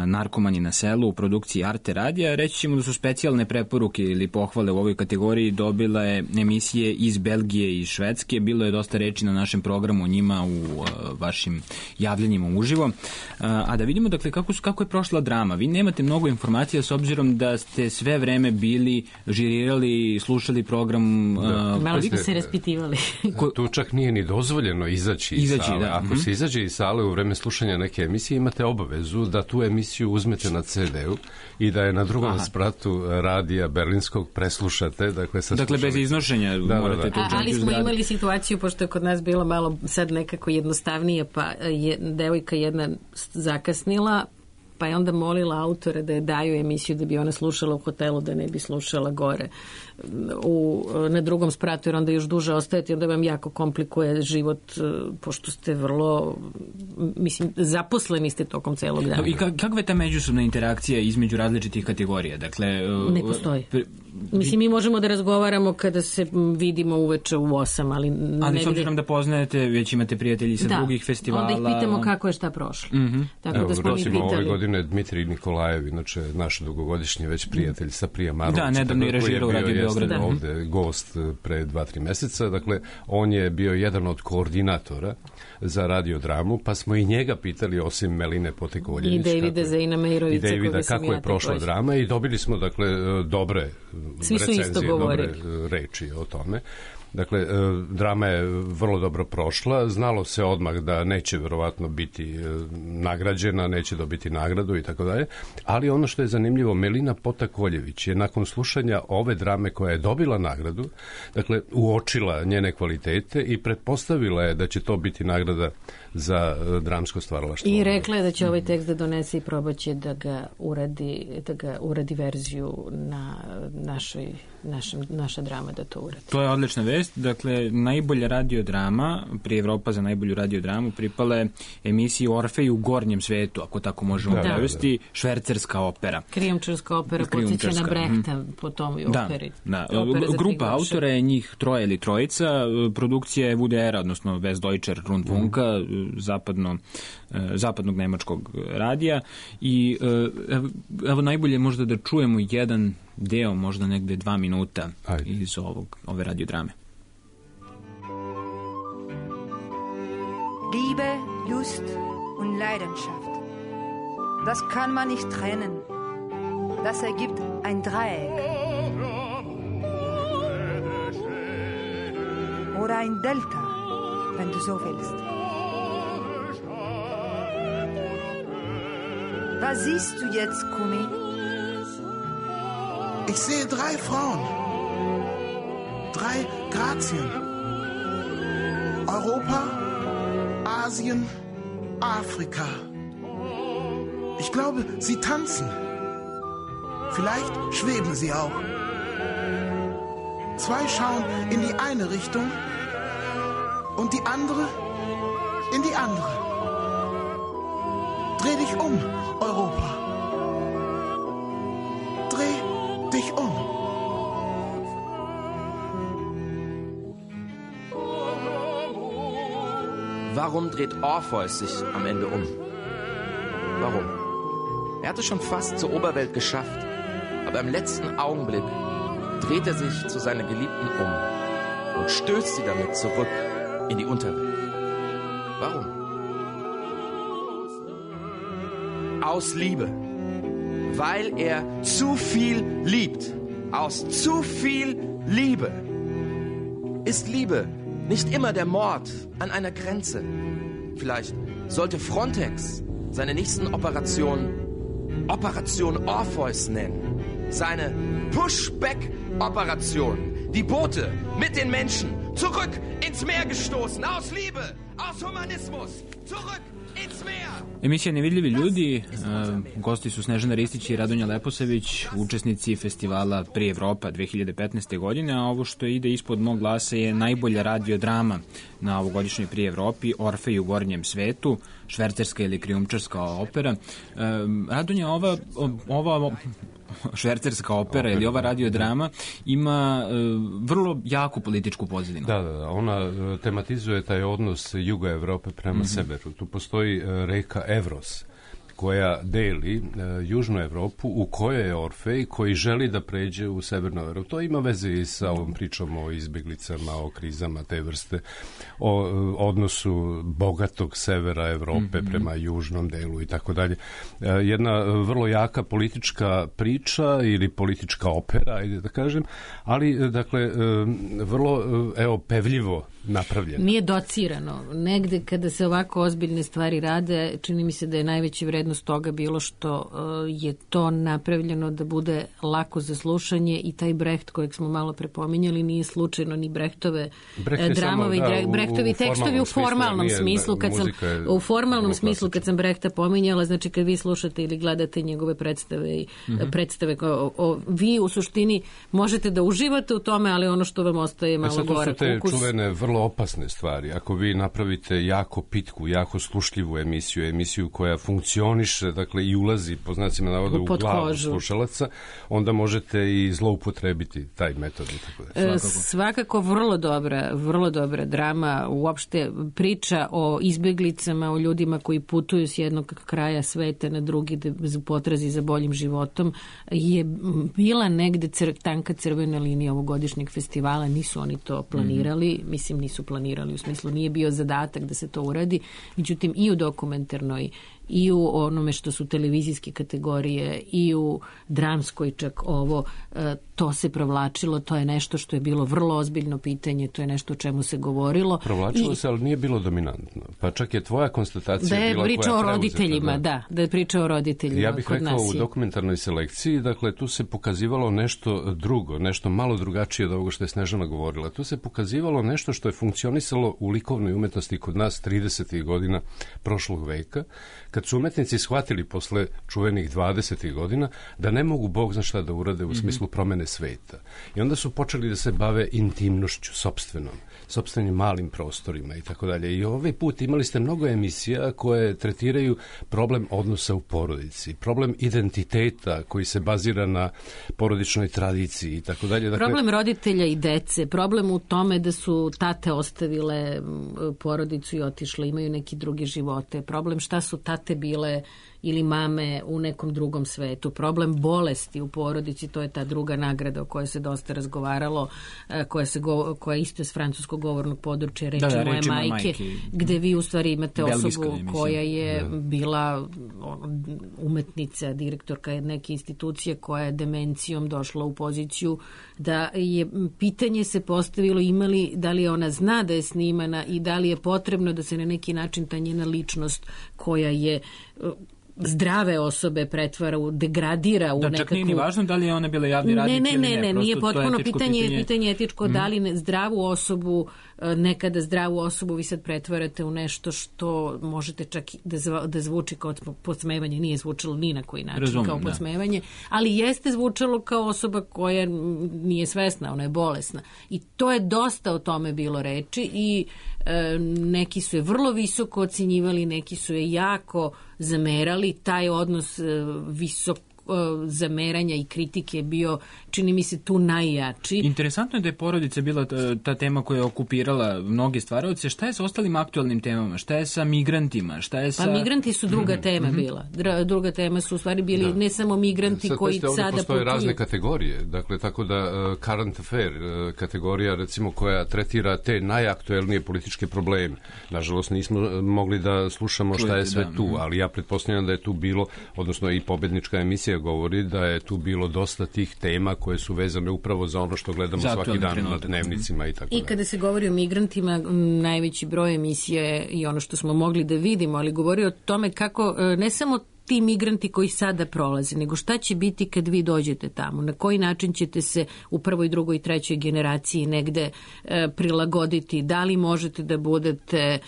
Narkomani na selu u produkciji Arte radija. Reći ćemo da su specijalne preporuke ili pohvale u ovoj kategoriji dobila je emisije iz Belgije i Švedske. Bilo je dosta reči na našem programu o njima u vašim javljanjima uživo. A da vidimo dakle kako, su, kako je prošla drama. Vi nemate mnogo informacija s obzirom da ste sve vreme bili, žirirali, slušali program. Da. Malo ste se raspitivali. Tu čak nije ni dozvoljeno izaći, izaći iz sale. Da. Ako mm-hmm. se izađe iz sale u vreme slušanja neke emisije, imate obavezu da tu emisiju uzmete na ce de-u i da je na drugom Aha. spratu radija berlinskog preslušate. Dakle, dakle bez iznošenja da, morate da, da. A, ali smo imali situaciju, pošto je kod nas bilo malo sad nekako jednostavnije, pa je devojka jedna zakasnila, pa je onda molila autore da je daju emisiju da bi ona slušala u hotelu, da ne bi slušala gore u, na drugom spratu, jer onda još duže ostajete i onda vam jako komplikuje život, pošto ste vrlo, mislim, zaposleni ste tokom celog dana. I kakva je ta međusobna interakcija između različitih kategorija? Dakle, ne postoji. Mislim, mi možemo da razgovaramo kada se vidimo uveče u osam, ali... Ali s obzirom da poznajete, već imate prijatelji sa da, drugih festivala... Da, onda ih pitamo kako je šta prošlo. Mm-hmm. Tako Evo, da smo mi pitali. ove godine Dmitrij Nikolajev, inače naš dugogodišnji već prijatelj sa Prija Marovića. Da, nedavno je režirao Radio Beograd. Da. Ovde gost pre dva, tri meseca. Dakle, on je bio jedan od koordinatora za radiodramu, pa smo i njega pitali, osim Meline Potekoljević. I Davida Zejna Mejrovića. I Davida, kako je prošla drama i dobili smo, dakle, dobre Svi recenzije, dobre reči o tome. Dakle, drama je vrlo dobro prošla, znalo se odmah da neće verovatno biti nagrađena, neće dobiti nagradu i tako dalje, ali ono što je zanimljivo, Melina Potakoljević je nakon slušanja ove drame koja je dobila nagradu, dakle, uočila njene kvalitete i pretpostavila je da će to biti nagrada za dramsko stvaralaštvo. I rekla je da će ovaj tekst da donese i probaće da ga uradi, da ga uradi verziju na našoj, našem, naša drama da to uradi. To je odlična vest. Dakle, najbolja radiodrama, Pri Evropa za najbolju radiodramu, pripala je emisiji Orfej u gornjem svetu, ako tako možemo prevesti, da, da. Švercerska opera. Krijumčarska opera, podsjeća na Brehta mm. po tom i operi. Da, da. Grupa autora je njih troje ili trojica, produkcija je V D R, odnosno Westdeutscher Rundfunka, mm. zapadno, zapadnog nemačkog radija i evo, evo najbolje možda da čujemo jedan deo, možda negde dva minuta Ajde. iz ovog, ove radiodrame. Liebe, Lust und Leidenschaft. Das kann man nicht trennen. Das ergibt ein Dreieck. Oder ein Delta, wenn du so willst. Was siehst du jetzt, Kumi? Ich sehe drei Frauen. Drei Grazien. Europa, Asien, Afrika. Ich glaube, sie tanzen. Vielleicht schweben sie auch. Zwei schauen in die eine Richtung und die andere in die andere. Dreh dich um, Europa. Dreh dich um. Warum dreht Orpheus sich am Ende um? Warum? Er hatte schon fast zur Oberwelt geschafft, aber im letzten Augenblick dreht er sich zu seiner Geliebten um und stößt sie damit zurück in die Unterwelt. Warum? Aus Liebe. Weil er zu viel liebt. Aus zu viel Liebe. Ist Liebe nicht immer der Mord an einer Grenze? Vielleicht sollte Frontex seine nächsten Operationen Operation Orpheus nennen. Seine Pushback-Operation. Die Boote mit den Menschen zurück ins Meer gestoßen. Aus Liebe, aus Humanismus. Zurück ins Meer. Emisija Nevidljivi ljudi, gosti su Snežana Ristić i Radonja Leposavić, učesnici festivala Pri Evropa dve hiljade petnaeste. godine, a ovo što ide ispod mog glasa je najbolja radiodrama na ovogodišnjoj Pri Evropi, Orfej u gornjem svetu, švercerska ili krijumčarska opera. Radonja, ova, ova švercerska opera ili ova radiodrama ima vrlo jaku političku pozadinu. Da, da, ona tematizuje taj odnos juga Evrope prema mm-hmm. severu. Tu postoji reka Evros koja deli uh, južnu Evropu u kojoj je Orfej koji želi da pređe u severnu Evropu. To ima veze i sa ovom pričom o izbeglicama, o krizama te vrste, o uh, odnosu bogatog severa Evrope mm-hmm. prema južnom delu i tako dalje. Uh, jedna uh, vrlo jaka politička priča ili politička opera, ajde da kažem, ali uh, dakle uh, vrlo uh, evo pevljivo napravljeno. Nije docirano. Negde kada se ovako ozbiljne stvari rade, čini mi se da je najveća vrednost toga bilo što uh, je to napravljeno da bude lako za slušanje i taj Brecht kojeg smo malo prepominjali nije slučajno ni Brechtove Brecht dramove samo, da, Brechtovi u, tekstovi u formalnom smislu, smislu kad sam u formalnom smislu kad sam Brechta pominjala, znači kad vi slušate ili gledate njegove predstave i mm-hmm. predstave o, o, vi u suštini možete da uživate u tome, ali ono što vam ostaje malo gore. To su te čuvene vrlo opasne stvari. Ako vi napravite jako pitku, jako slušljivu emisiju, emisiju koja funkcioniše, dakle i ulazi po znacima navoda u glavu kožu slušalaca, onda možete i zloupotrebiti taj metod. Tako da. Svakako. Svakako vrlo dobra, vrlo dobra drama, uopšte priča o izbeglicama, o ljudima koji putuju s jednog kraja sveta na drugi da potrazi za boljim životom, je bila negde cr, tanka crvena linija ovogodišnjeg festivala, nisu oni to planirali, mm-hmm. mislim nisu planirali, u smislu nije bio zadatak da se to uradi, međutim i u dokumentarnoj i u onome što su televizijske kategorije i u dramskoj čak ovo, to se provlačilo, to je nešto što je bilo vrlo ozbiljno pitanje, to je nešto o čemu se govorilo. Provlačilo I, se, ali nije bilo dominantno. Pa čak je tvoja konstatacija da je bila priča koja o roditeljima, da. da, da je priča o roditeljima. Ja bih kod rekao nas u dokumentarnoj selekciji, dakle tu se pokazivalo nešto drugo, nešto malo drugačije od ovoga što je Snežana govorila. Tu se pokazivalo nešto što je funkcionisalo u likovnoj umetnosti kod nas tridesetih godina prošlog veka, kad su umetnici shvatili posle čuvenih dvadesetih godina da ne mogu Bog zna šta da urade u mm-hmm. smislu promene sveta. I onda su počeli da se bave intimnošću sopstvenom, sopstvenim malim prostorima i tako dalje. I ovaj put imali ste mnogo emisija koje tretiraju problem odnosa u porodici, problem identiteta koji se bazira na porodičnoj tradiciji i tako dalje. Dakle, problem roditelja i dece, problem u tome da su tate ostavile porodicu i otišle, imaju neki drugi živote, problem šta su tate bile ili mame u nekom drugom svetu. Problem bolesti u porodici, to je ta druga nagrada o kojoj se dosta razgovaralo, koja, se go, koja isto je s francuskog govornog područja, reči, da, da, moje majke, majke, gde vi u stvari imate osobu koja je da. bila umetnica, direktorka neke institucije koja je demencijom došla u poziciju da je pitanje se postavilo imali, da li ona zna da je snimana i da li je potrebno da se na neki način ta njena ličnost koja je zdrave osobe pretvara, u, degradira u da, nekakvu... Da, čak nije ni važno da li je ona bila javni radnik ne, ne, ili ne. Ne, ne, nije potpuno pitanje, pitanje, pitanje etičko, mm. da li zdravu osobu, nekada zdravu osobu vi sad pretvarate u nešto što možete čak da, zva, da zvuči kao podsmevanje, nije zvučalo ni na koji način Razumem, kao podsmevanje, da. ali jeste zvučalo kao osoba koja nije svesna, ona je bolesna. I to je dosta o tome bilo reči i e, neki su je vrlo visoko ocenjivali, neki su je jako zamerali, taj odnos e, visoko zameranja i kritike bio, čini mi se, tu najjači. Interesantno je da je porodica bila ta, ta tema koja je okupirala mnoge stvaraoce. Šta je sa ostalim aktualnim temama? Šta je sa migrantima? Šta je sa... Pa migranti su druga mm-hmm. tema bila. Dra, druga tema su u stvari bili da. ne samo migranti sad, koji sada putuju. Postoje razne kategorije. Dakle, tako da uh, current affair uh, kategorija, recimo, koja tretira te najaktuelnije političke probleme. Nažalost, nismo mogli da slušamo šta je sve tu, ali ja pretpostavljam da je tu bilo, odnosno i pobednička emisija govori da je tu bilo dosta tih tema koje su vezane upravo za ono što gledamo Zato svaki dan trenutak. na dnevnicima i tako I kada se govori o migrantima, najveći broj emisije i ono što smo mogli da vidimo, ali govori o tome kako ne samo ti migranti koji sada prolaze, nego šta će biti kad vi dođete tamo, na koji način ćete se u prvoj, drugoj i trećoj generaciji negde e, prilagoditi, da li možete da budete e,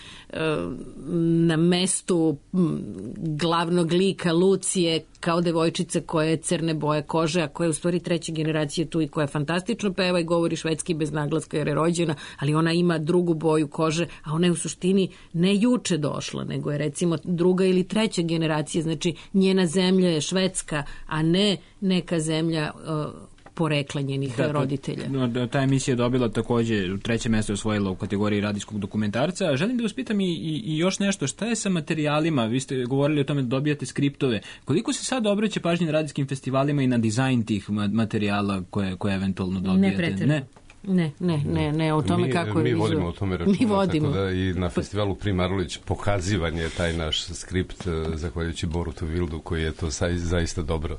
na mestu m, glavnog lika Lucije kao devojčica koja je crne boje kože, a koja je u stvari treća generacija tu i koja fantastično peva i govori švedski bez naglaska jer je rođena, ali ona ima drugu boju kože, a ona je u suštini ne juče došla, nego je recimo druga ili treća generacija, znači njena zemlja je Švedska, a ne neka zemlja uh, porekla njenih da, roditelja. Ta, ta emisija je dobila takođe treće mesto osvojila u kategoriji radijskog dokumentarca. Želim da vas pitam i, i, i još nešto, šta je sa materijalima? Vi ste govorili o tome da dobijate skriptove. Koliko se sad obraća pažnje na radijskim festivalima i na dizajn tih materijala koje, koje eventualno dobijate? Ne pretjerno. Ne. Ne, ne, ne, ne, o tome mi, kako je... Mi vodimo o tome računa, mi vodimo. Tako da i na festivalu Primarović pokazivan je taj naš skript, zahvaljujući Borutu Vildu, koji je to zaista dobro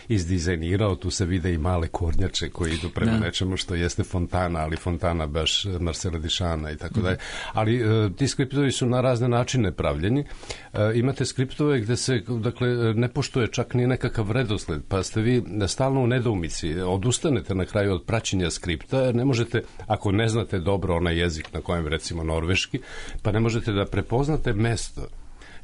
izdizajnirao. Tu se vide i male kornjače koji idu prema da. nečemu što jeste fontana, ali fontana baš Marcela Dišana i tako dalje. Ali ti skriptovi su na razne načine pravljeni. Imate skriptove gde se, dakle, ne poštuje čak ni nekakav redosled, pa ste vi stalno u nedoumici. Odustanete na kraju od praćenja skripta, jer ne možete, ako ne znate dobro onaj jezik na kojem, recimo norveški, pa ne možete da prepoznate mesto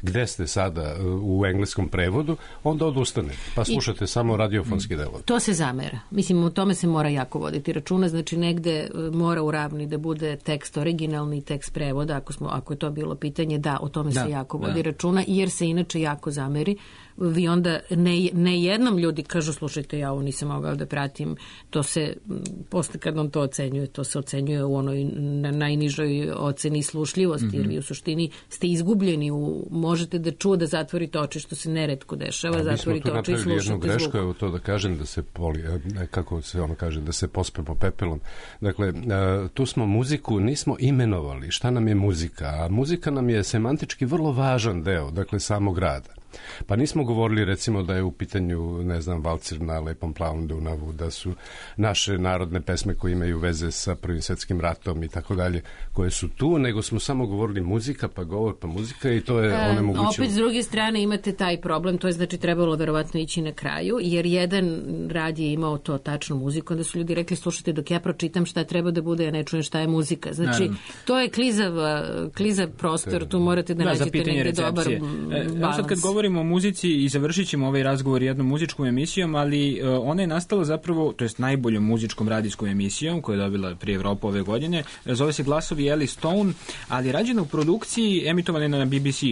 gde ste sada u engleskom prevodu, onda odustane. Pa slušate I, samo radiofonski delo. To se zamera. Mislim, o tome se mora jako voditi računa. Znači, negde mora u ravni da bude tekst originalni, tekst prevoda, ako, smo, ako je to bilo pitanje, da, o tome da, se jako vodi da. računa, jer se inače jako zameri. Vi onda ne, ne jednom ljudi kažu, slušajte, ja ovo nisam mogao da pratim, to se, posle kad on to ocenjuje, to se ocenjuje u onoj na najnižoj oceni slušljivosti, mm-hmm. jer vi u suštini ste izgubljeni, u, možete da čuo da zatvorite oči, što se neretko dešava, zatvorite oči i slušate zvuk. Mi smo tu napravili jednu grešku, evo to da kažem, da se poli, kako se ono kaže, da se pospemo pepelom. Dakle, tu smo muziku, nismo imenovali šta nam je muzika, a muzika nam je semantički vrlo važan deo, dakle, samog rada. Pa nismo govorili recimo da je u pitanju, ne znam, valcir na Lepom plavom Dunavu, da su naše narodne pesme koje imaju veze sa Prvim svetskim ratom i tako dalje, koje su tu, nego smo samo govorili muzika, pa govor, pa muzika i to je e, onemogućilo. Opet s druge strane imate taj problem, to je znači trebalo verovatno ići na kraju, jer jedan rad je imao to tačnu muziku, onda su ljudi rekli, slušajte, dok ja pročitam šta treba da bude, ja ne čujem šta je muzika. Znači, Naravno. to je klizav, klizav prostor, tu morate da, da nađete negdje dobar balans. Sad kad govorimo o muzici i završit ćemo ovaj razgovor jednom muzičkom emisijom, ali uh, ona je nastala zapravo, to jest najboljom muzičkom radijskom emisijom koju je dobila prije Evropa ove godine. Zove se Glasovi Ellie Stone, ali je rađena u produkciji, emitovana na B B C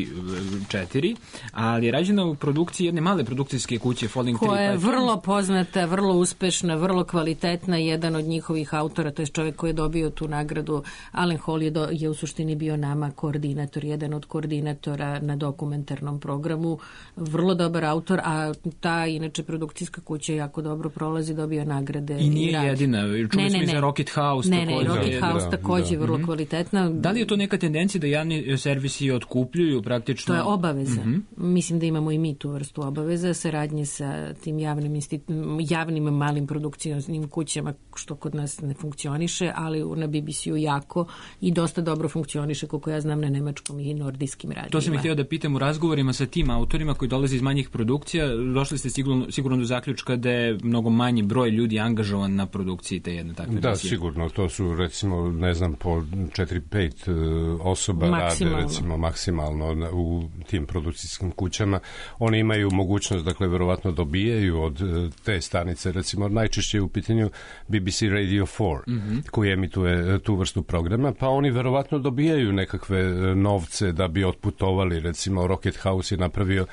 četiri, ali je rađena u produkciji jedne male produkcijske kuće Falling Tree. Koja je vrlo poznata, vrlo uspešna, vrlo kvalitetna. Jedan od njihovih autora, to je čovjek koji je dobio tu nagradu, Alan Hall je, do, je u suštini bio nama koordinator, jedan od koordinatora na dokumentarnom programu. Vrlo dobar autor, a ta inače produkcijska kuća jako dobro prolazi, dobija nagrade. I nije i jedina. Čuli ne, smo ne, i za Rocket House. Ne, ne, Rocket da, House da, takođe da. vrlo mm-hmm. kvalitetna. Da li je to neka tendencija da javni servisi otkupljuju praktično? To je obaveza. Mm-hmm. Mislim da imamo i mi tu vrstu obaveza, saradnje sa tim javnim, institu- javnim malim produkcijnim kućama, što kod nas ne funkcioniše, ali na B B C-u jako i dosta dobro funkcioniše, koliko ja znam, na nemačkom i nordijskim radijima. To sam ih htio da pitam u razgovorima sa tim autorima koji dolaze iz manjih produkcija, došli ste sigurno, sigurno do zaključka da je mnogo manji broj ljudi angažovan na produkciji te jedne takve Da, emisije. Sigurno. To su, recimo, ne znam, po četiri pet uh, osoba maksimalno. rade, recimo, maksimalno u tim produkcijskim kućama. Oni imaju mogućnost, dakle, verovatno dobijaju od uh, te stanice, recimo, najčešće u pitanju B B C Radio četiri, mm-hmm. koji emituje tu vrstu programa, pa oni verovatno dobijaju nekakve novce da bi otputovali, recimo, Rocket House je napravio napravio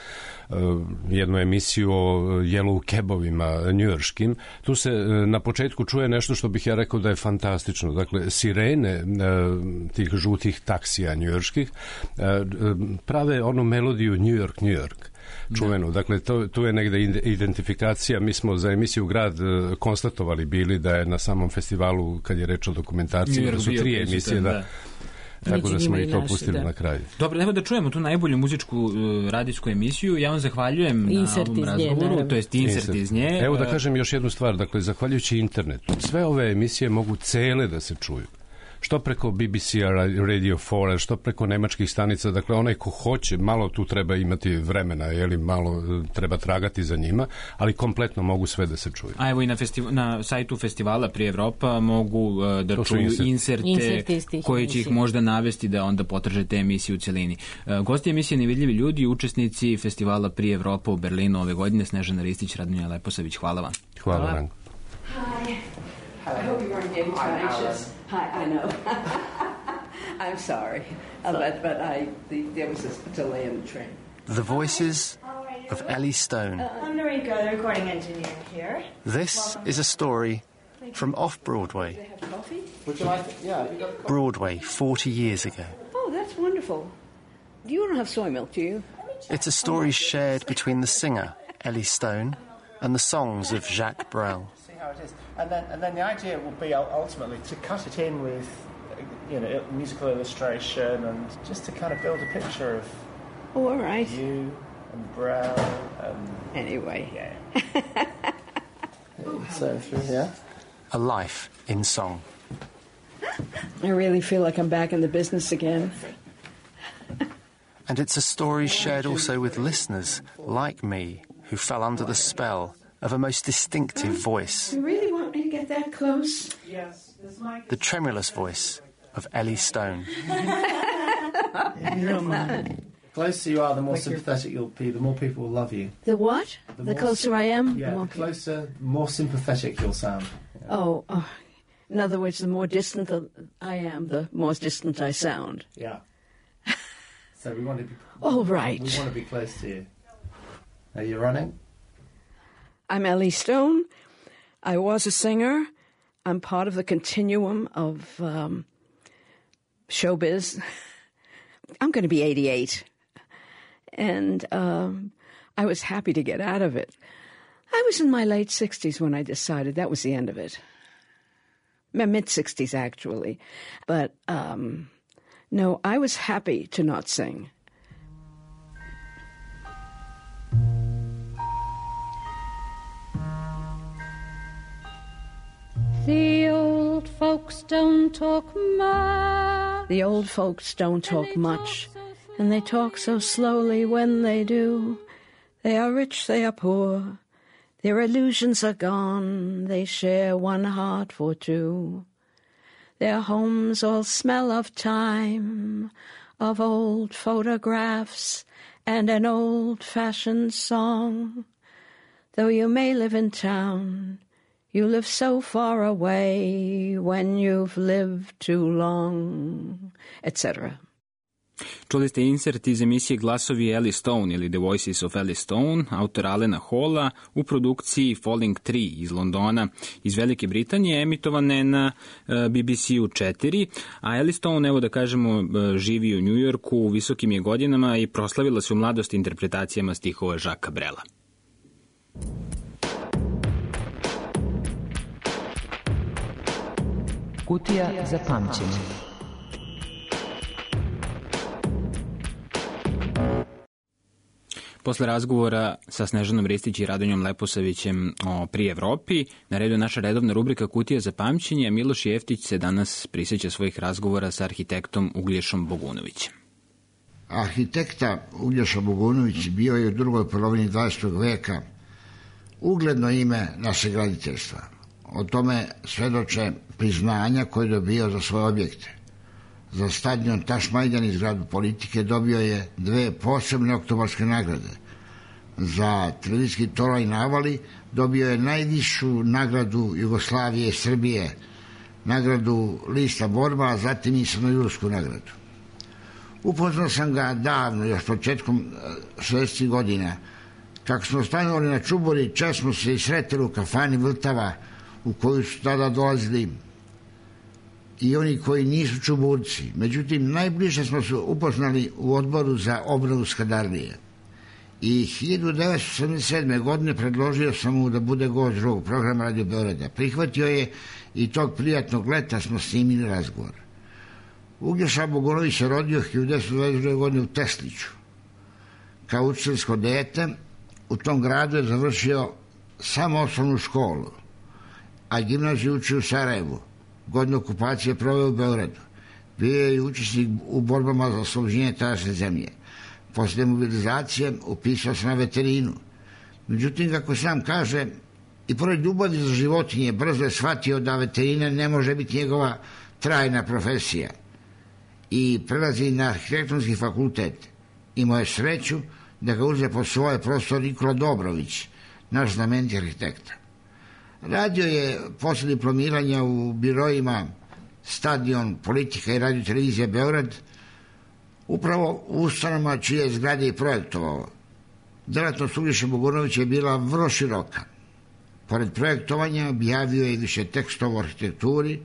uh, jednu emisiju o yellow cabovima njujorškim. Tu se uh, na početku čuje nešto što bih ja rekao da je fantastično. Dakle, sirene uh, tih žutih taksija njujorških uh, prave onu melodiju New York, New York. Čuvenu. Dakle, to, tu je negde identifikacija. Mi smo za emisiju Grad uh, konstatovali bili da je na samom festivalu, kad je reč o dokumentarciji, da su tri emisije, da, da. Tako da smo i to naši, pustili da. Na kraju. Dobro, evo da čujemo tu najbolju muzičku uh, radijsku emisiju. Ja vam zahvaljujem insert na ovom razgovoru, nje, to jest insert, insert iz nje. Evo da kažem još jednu stvar, dakle, zahvaljujući internetu, sve ove emisije mogu cele da se čuju. Što preko B B C-a, Radio četiri, što preko nemačkih stanica, dakle onaj ko hoće, malo tu treba imati vremena, jeli, malo treba tragati za njima, ali kompletno mogu sve da se čuju. A evo i na, festiv- na sajtu festivala Pri Evropa mogu uh, da to čuju insert. inserte koji će ih možda navesti da onda potraže te emisije u celini. Uh, gosti emisije Nevidljivi ljudi, učesnici festivala Pri Evropa u Berlinu ove godine, Snežana Ristić, Radmila Leposavić, hvala vam. Hvala, hvala. Ranko. Hi. I hope you weren't getting too anxious. Hi, I know. I'm sorry, uh, but but I the, there was a delay in the train. The voices of Ellie Stone. Uh, I'm Noriko, the recording engineer here. This Welcome. Is a story from off-Broadway. Do they have coffee? Would you like to, yeah, you got coffee. Broadway, forty years ago. Oh, that's wonderful. You don't have soy milk, do you? It's a story shared between the singer, Ellie Stone, and the songs of Jacques Brel. It is. And then, and then the idea will be ultimately to cut it in with, you know, musical illustration and just to kind of build a picture of oh, all right. you and Brel and... Anyway. Yeah. So, yeah. A life in song. I really feel like I'm back in the business again. And it's a story shared also with listeners like me who fell under the spell of a most distinctive voice. You really want me to get that close? Yes. The tremulous voice of Ellie Stone. You don't mind. The closer you are, the more sympathetic you'll be, the more people will love you. The what? The, the closer I am? Yeah, the, the closer, the more sympathetic you'll sound. Yeah. Oh, oh, in other words, the more distant I am, the more distant I sound. Yeah. So we want to be... All right. We want to be close to you. Are you running? I'm Ellie Stone. I was a singer. I'm part of the continuum of um, showbiz. I'm going to be eighty-eight. And um, I was happy to get out of it. I was in my late sixties when I decided that was the end of it. My mid-sixties, actually. But um, no, I was happy to not sing. The old folks don't talk much. The old folks don't talk much, and they talk so slowly when they do. They are rich, they are poor. Their illusions are gone. They share one heart for two. Their homes all smell of time, of old photographs and an old-fashioned song. Though you may live in town, you live so far away when you've lived too long, et cetera. Čuli ste insert iz emisije Glasovi Ellie Stone ili The Voices of Ellie Stone, autora Alena Halla, u produkciji Falling Tree iz Londona, iz Velike Britanije, emitovane na B B C-u četiri, a Ellie Stone, evo da kažemo, živi u Njujorku, u visokim je godinama i proslavila se u mladosti interpretacijama stihova Jacquesa Brela. Kutija za pamćenje. Posle razgovora sa Snežanom Ristić i Radonjom Leposavićem o Pri Evropi, na redu je naša redovna rubrika Kutija za pamćenje, a Miloš Jeftić se danas prisjeća svojih razgovora sa arhitektom Uglješom Bogunovićem. Arhitekta Uglješa Bogunović bio je u drugoj polovini dvadesetog veka ugledno ime našeg graditeljstva. O tome svedoče priznanja koje je dobio za svoje objekte. Za stadion Tašmajdan iz Gradu politike dobio je dve posebne oktobarske nagrade. Za televizijski Toraj na Avali dobio je najvišu nagradu Jugoslavije i Srbije, nagradu Lista borba, a zatim i Crnojursku nagradu. Upoznao sam ga davno, još početkom šezdesetih godina. Kako smo stanovali na Čubori, čas smo se i sretili u kafani Vrtava, u koju su tada dolazili i oni koji nisu Čuburci. Međutim, najbliže smo se upoznali u odboru za obnovu Skadarlije. I hiljadu devetsto sedamdeset sedme. godine predložio sam mu da bude gost drugog programa Radio Beograda. Prihvatio je i tog prijatnog leta smo snimili razgovor. Uglješa Bogunović se rodio hiljadu devetsto dvadeset druge. godine u Tesliću. Kao učiteljsko dete u tom gradu je završio samo osnovnu školu, a gimnaziju učio u Sarajevu. Godinu okupacije proveo u Beogradu. Bio je i učesnik u borbama za oslobođenje tadašnje zemlje. Posle mobilizacije upisao se na veterinu. Međutim, kako sam kaže, i pored ljubavi za životinje, brzo je shvatio da veterina ne može biti njegova trajna profesija i prelazi na arhitektonski fakultet. Imao je sreću da ga uze po svoje profesor Nikola Dobrović, naš znameniti arhitekta. Radio je posle diplomiranja u birojima Stadion, Politika i Radio Televizija Beograd, upravo u ustanovama čije zgrade i projektovao. Delatnost Uglješe Bogunovića je bila vrlo široka. Pored projektovanja objavio je više tekstova o arhitekturi,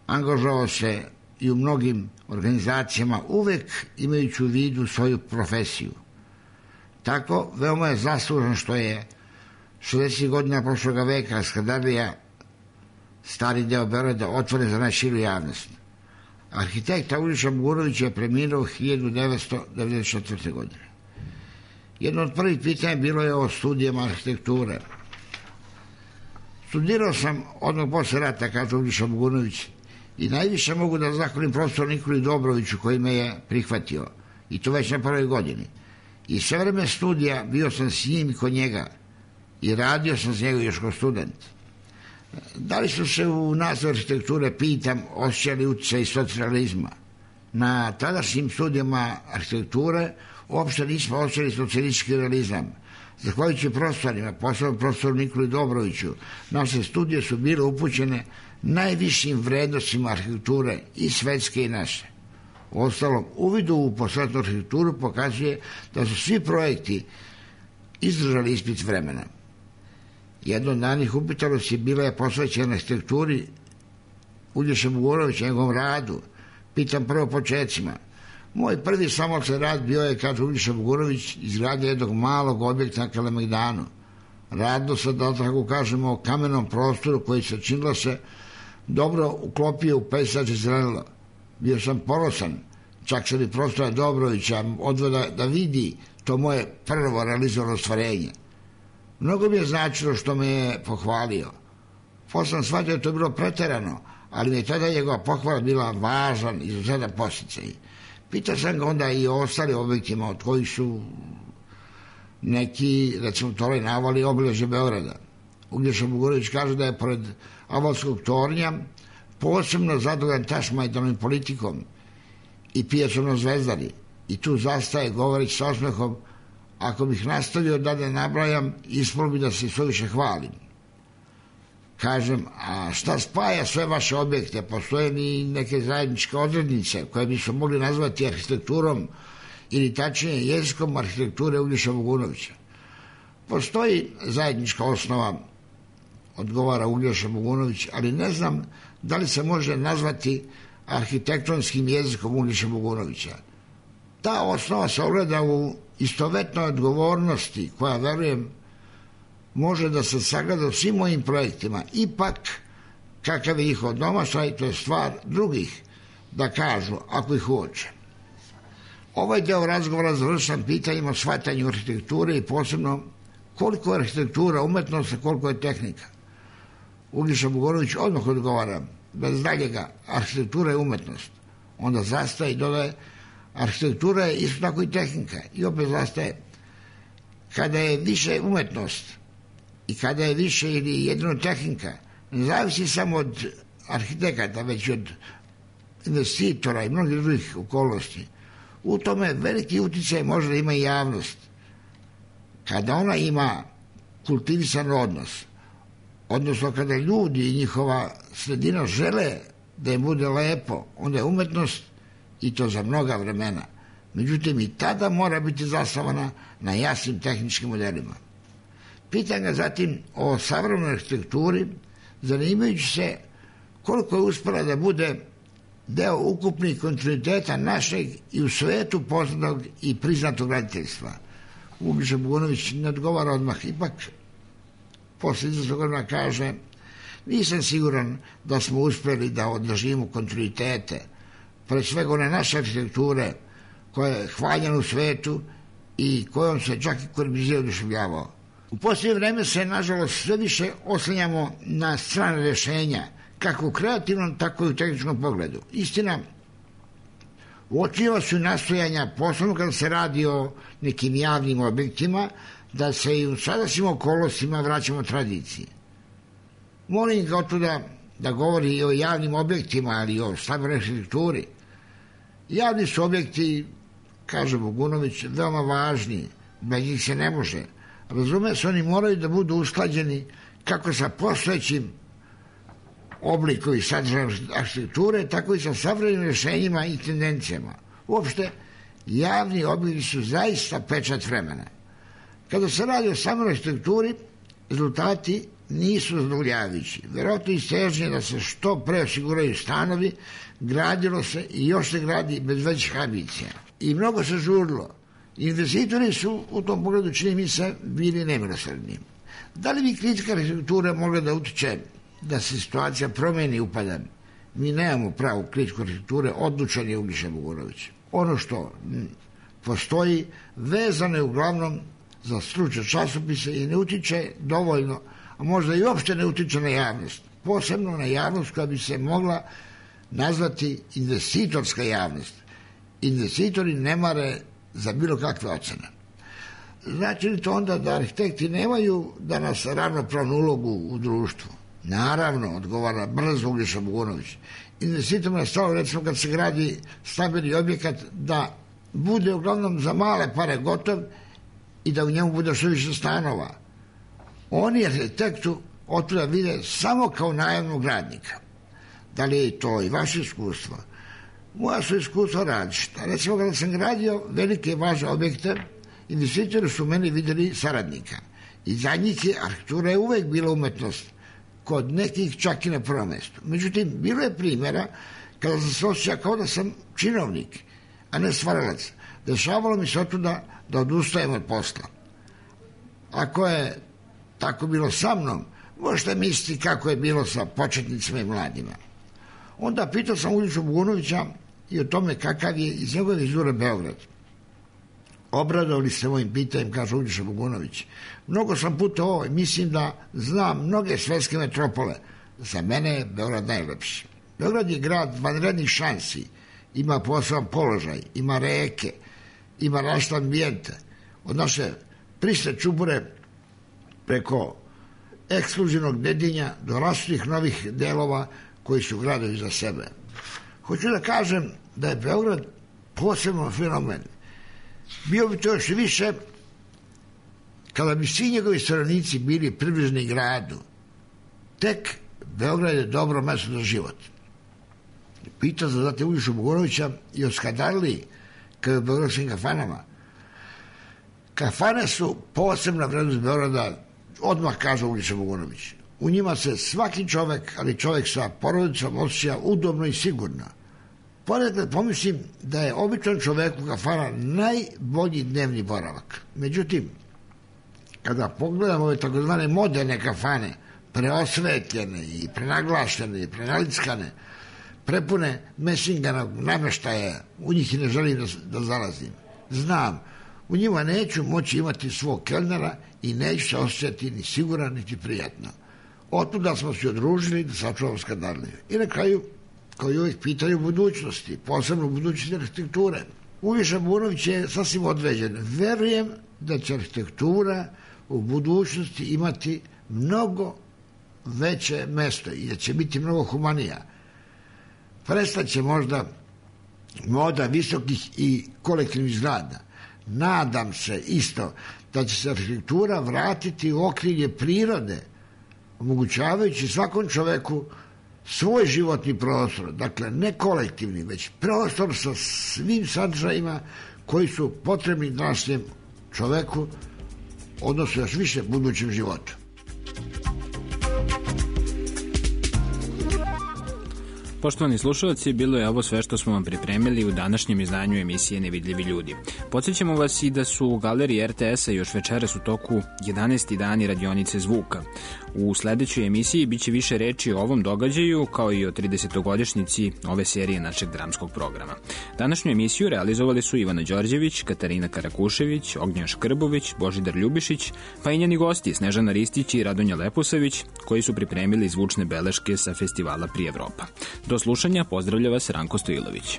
angažovao se i u mnogim organizacijama, uvek imajući u vidu svoju profesiju. Tako, veoma je zaslužan što je šezdesetih godina prošloga veka Skadarlija, stari deo Beograda, otvoren za najširu javnost. Arhitekta Uglješa Bogunović je preminuo hiljadu devetsto devedeset četvrte. godine. Jedno od prvih pitanja bilo je o studijama arhitekture. Studirao sam odmah posle rata, kaže Uglješa Bogunović, i najviše mogu da zahvalim profesoru Nikoli Dobroviću koji me je prihvatio, i to već na prvoj godini. I sve vreme studija bio sam s njim i kod njega i radio sam s njega još kao student. Da li su se u nastavu arhitekture, pitam, osjećali utjecaj socijalizma? Na tadašnjim studijama arhitekture uopšte nismo osjećali socijalistički realizam. Zahvaljujući profesorima, posebno profesoru Nikoli Dobroviću, naše studije su bile upućene najvišim vrednostima arhitekture i svetske i naše. Ostalom, uvidu u posvetnu arhitekturu pokazuje da su svi projekti izdržali ispit vremena. Jedno od danih upitalosti bila je posvećena arhitekturi Uglješe Bogunovića, njegovom radu. Pitam prvo početcima. Moj prvi samostalni rad bio je, kaže Uglješa Bogunović, izgradnja jednog malog objekta na Kalemegdanu. Radilo se, da tako kažemo, o kamenom prostoru koji se činilo se dobro uklopio u pejzaž i zelenilo. Bio sam ponosan, čak se li profesora Dobrovića odveo da, da vidi to moje prvo realizovano ostvarenje. Mnogo mi je značilo što me je pohvalio. Posle sam shvatio da to je bilo preterano, ali mi je tada njegova pohvala bila važan, izuzetan podsticaj. Pitao sam ga onda i o ostalim objektima, od kojih su neki, recimo, Toroj navali obilježje Beograda. Uglješa Bogunović kaže da je pored Avalskog tornja posebno zadovoljan Tašmajdanom politikom i pijacom na Zvezdari. I tu zastaje, govoreći sa osmehom, ako bih nastavio da ne nabrajam, ispalo bi da se suviše hvalim. Kažem, a šta spaja sve vaše objekte? Postoje li neke zajedničke odrednice koje bi se mogli nazvati arhitekturom ili tačnije jezikom arhitekture Uglješa Bogunovića? Postoji zajednička osnova, odgovara Uglješa Bogunović, ali ne znam da li se može nazvati arhitektonskim jezikom Uglješa Bogunovića. Ta osnova se ogleda u istovetnoj odgovornosti koja, verujem, može da se sagleda u svim mojim projektima. Ipak, kakav je njihov domašaj, to je stvar drugih da kažu, ako ih uoče. Ovaj deo razgovora završam pitanjima o shvatanju arhitekture i posebno koliko je arhitektura umetnost, koliko je tehnika. Uglješa Bogunović odmah odgovara, bez daljega, arhitektura je umetnost. Onda zastaje i dodaje, arhitektura je isto tako i tehnika. I opet zastaje, kada je više umetnost i kada je više ili jedino tehnika, ne zavisi samo od arhitekata, već od investitora i mnogih drugih okolnosti. U tome veliki uticaj može da ima i javnost. Kada ona ima kultivisan odnos, odnosno kada ljudi i njihova sredina žele da im bude lepo, onda je umetnost, i to za mnoga vremena, Međutim, i tada mora biti zasnovana na jasnim tehničkim modelima. Pitam ga zatim o savremenoj arhitekturi, zanimajući se koliko je uspela da bude deo ukupnih kontinuiteta našeg i u svetu poznatog i priznatog graditeljstva. Uglješa Bogunović ne odgovara odmah, ipak posle izvesnog godina kaže: nisam siguran da smo uspeli da održimo kontinuitete, pre svega one naše arhitekture koja je hvaljena u svetu i kojom se čak i Corbusier oduševljavao. U posljednje vreme se, nažalost, sve više oslanjamo na strane rješenja, kako u kreativnom, tako i u tehničkom pogledu. Istina, uočljiva su nastojanja, posebno kada se radi o nekim javnim objektima, da se i u sadašnjim okolnostima vraćamo tradiciji. Molim ga otuda da govori i o javnim objektima, ali i o stambenoj arhitekturi. Javni su objekti, kaže Bogunović, veoma važni, bez njih se ne može. Razume se, oni moraju da budu usklađeni kako sa postojećim oblikom i sadržajem arhitekture, tako i sa savremenim rješenjima i tendencijama. Uopšte, javni objekti su zaista pečat vremena. Kada se radi o samoj arhitekturi, rezultati nisu zadovoljavajući. Verovatno istežnje da se što pre osiguraju stanovi, gradilo se i još se gradi bez većih ambicija. I mnogo se žurilo. Investitori su u tom pogledu, čini mi se, bili nemilosrdni. Da li bi kritika arhitekture mogla da utiče da se situacija promeni upadan? Mi nemamo pravu kritiku arhitekture, odlučan je Uglješa Bogunović. Ono što postoji vezano je uglavnom za stručne časopise i ne utiče dovoljno, a možda i uopšte ne utiče na javnost. Posebno na javnost koja bi se mogla nazvati investitorska javnost. Investitori ne mare za bilo kakve ocene. Znači li to onda da arhitekti nemaju danas ravnopravnu ulogu u društvu? Naravno, odgovara brzo Uglješa Bogunović. Investitorima je stalo, recimo, kad se gradi stambeni objekat, da bude uglavnom za male pare gotov i da u njemu bude što više stanova. Oni arhitektu otuda vide samo kao najamnog radnika. Da li je to i vaše iskustvo? Moja su iskustva različita. Recimo, kada sam gradio velike važne objekte, investitori su meni vidjeli saradnika. I za njih je arhitektura je uvek bila umetnost, kod nekih čak i na prvom mjestu. Međutim, bilo je primjera kada sam se osjećao kao da sam činovnik, a ne stvaralac. Dešavalo mi se otuda da odustajem od posla. Ako je tako bilo sa mnom, možete misliti kako je bilo sa početnicima i mladima. Onda pitao sam Uglješu Bogunovića i o tome kakav je iz njegove vizure Beograd. Obradovali se mojim pitanjem, kaže Uglješa Bogunović. Mnogo sam putovao i mislim da znam mnoge svetske metropole. Za mene je Beograd najlepši. Beograd je grad vanrednih šansi. Ima poseban položaj, ima reke, ima različite ambijente. Od naše priste čubure preko ekskluzivnog Dedinja do različitih novih delova koji su gradovi za sebe. Hoću da kažem da je Beograd posebno fenomen. Bio bi to još više kada bi svi njegovi stanovnici bili približni gradu. Tek Beograd je dobro mesto za život. Pitao za zate Uglješu Bogunovića i o skadarliji kao i o beogradskim kafanama. Kafane su posebna vrednost Beograda, odmah kaže Uglješa Bogunović. U njima se svaki čovek, ali čovek sa porodicom, osjeća udobno i sigurno. Ponekad pomislim da je običan čovek u kafana najbolji dnevni boravak. Međutim, kada pogledamo ove takozvane moderne kafane, preosvetljene i prenaglašene i prenalickane, prepune mesinganog nameštaja, u njih i ne želim da, da zalazim. Znam, u njima neću moći imati svog kelnera i neću se osjećati ni siguran, niti prijatno. Otuda smo se odružili da sačuvamo skadarliju. I na kraju, kao i uvijek, pitaju budućnosti, posebno budućnosti arhitekture. Uglješa Bogunović je sasvim određen. Verujem da će arhitektura u budućnosti imati mnogo veće mesto i da će biti mnogo humanija. Prestaće možda moda visokih i kolektivnih zgrada. Nadam se isto da će se arhitektura vratiti u okrilje prirode, omogućavajući svakom čoveku svoj životni prostor, dakle ne kolektivni, već prostor sa svim sadržajima koji su potrebni današnjem čoveku, odnosno još više budućem životu. Poštovani slušalci, bilo je ovo sve što smo vam pripremili u današnjem izdanju emisije Nevidljivi ljudi. Podsjećamo vas i da su u galeriji er te esa još večeras u toku jedanaesti dani radionice zvuka. U sledećoj emisiji biće više reči o ovom događaju, kao i o tridesetogodišnjici ove serije našeg dramskog programa. Današnju emisiju realizovali su Ivana Đorđević, Katarina Karakušević, Ognjen Škrbović, Božidar Ljubišić, pa i njeni gosti Snežana Ristić i Radonja Leposavić, koji su pripremili zvučne beleške sa festivala Pri Evropa. Do slušanja, pozdravlja vas Ranko Stojilović.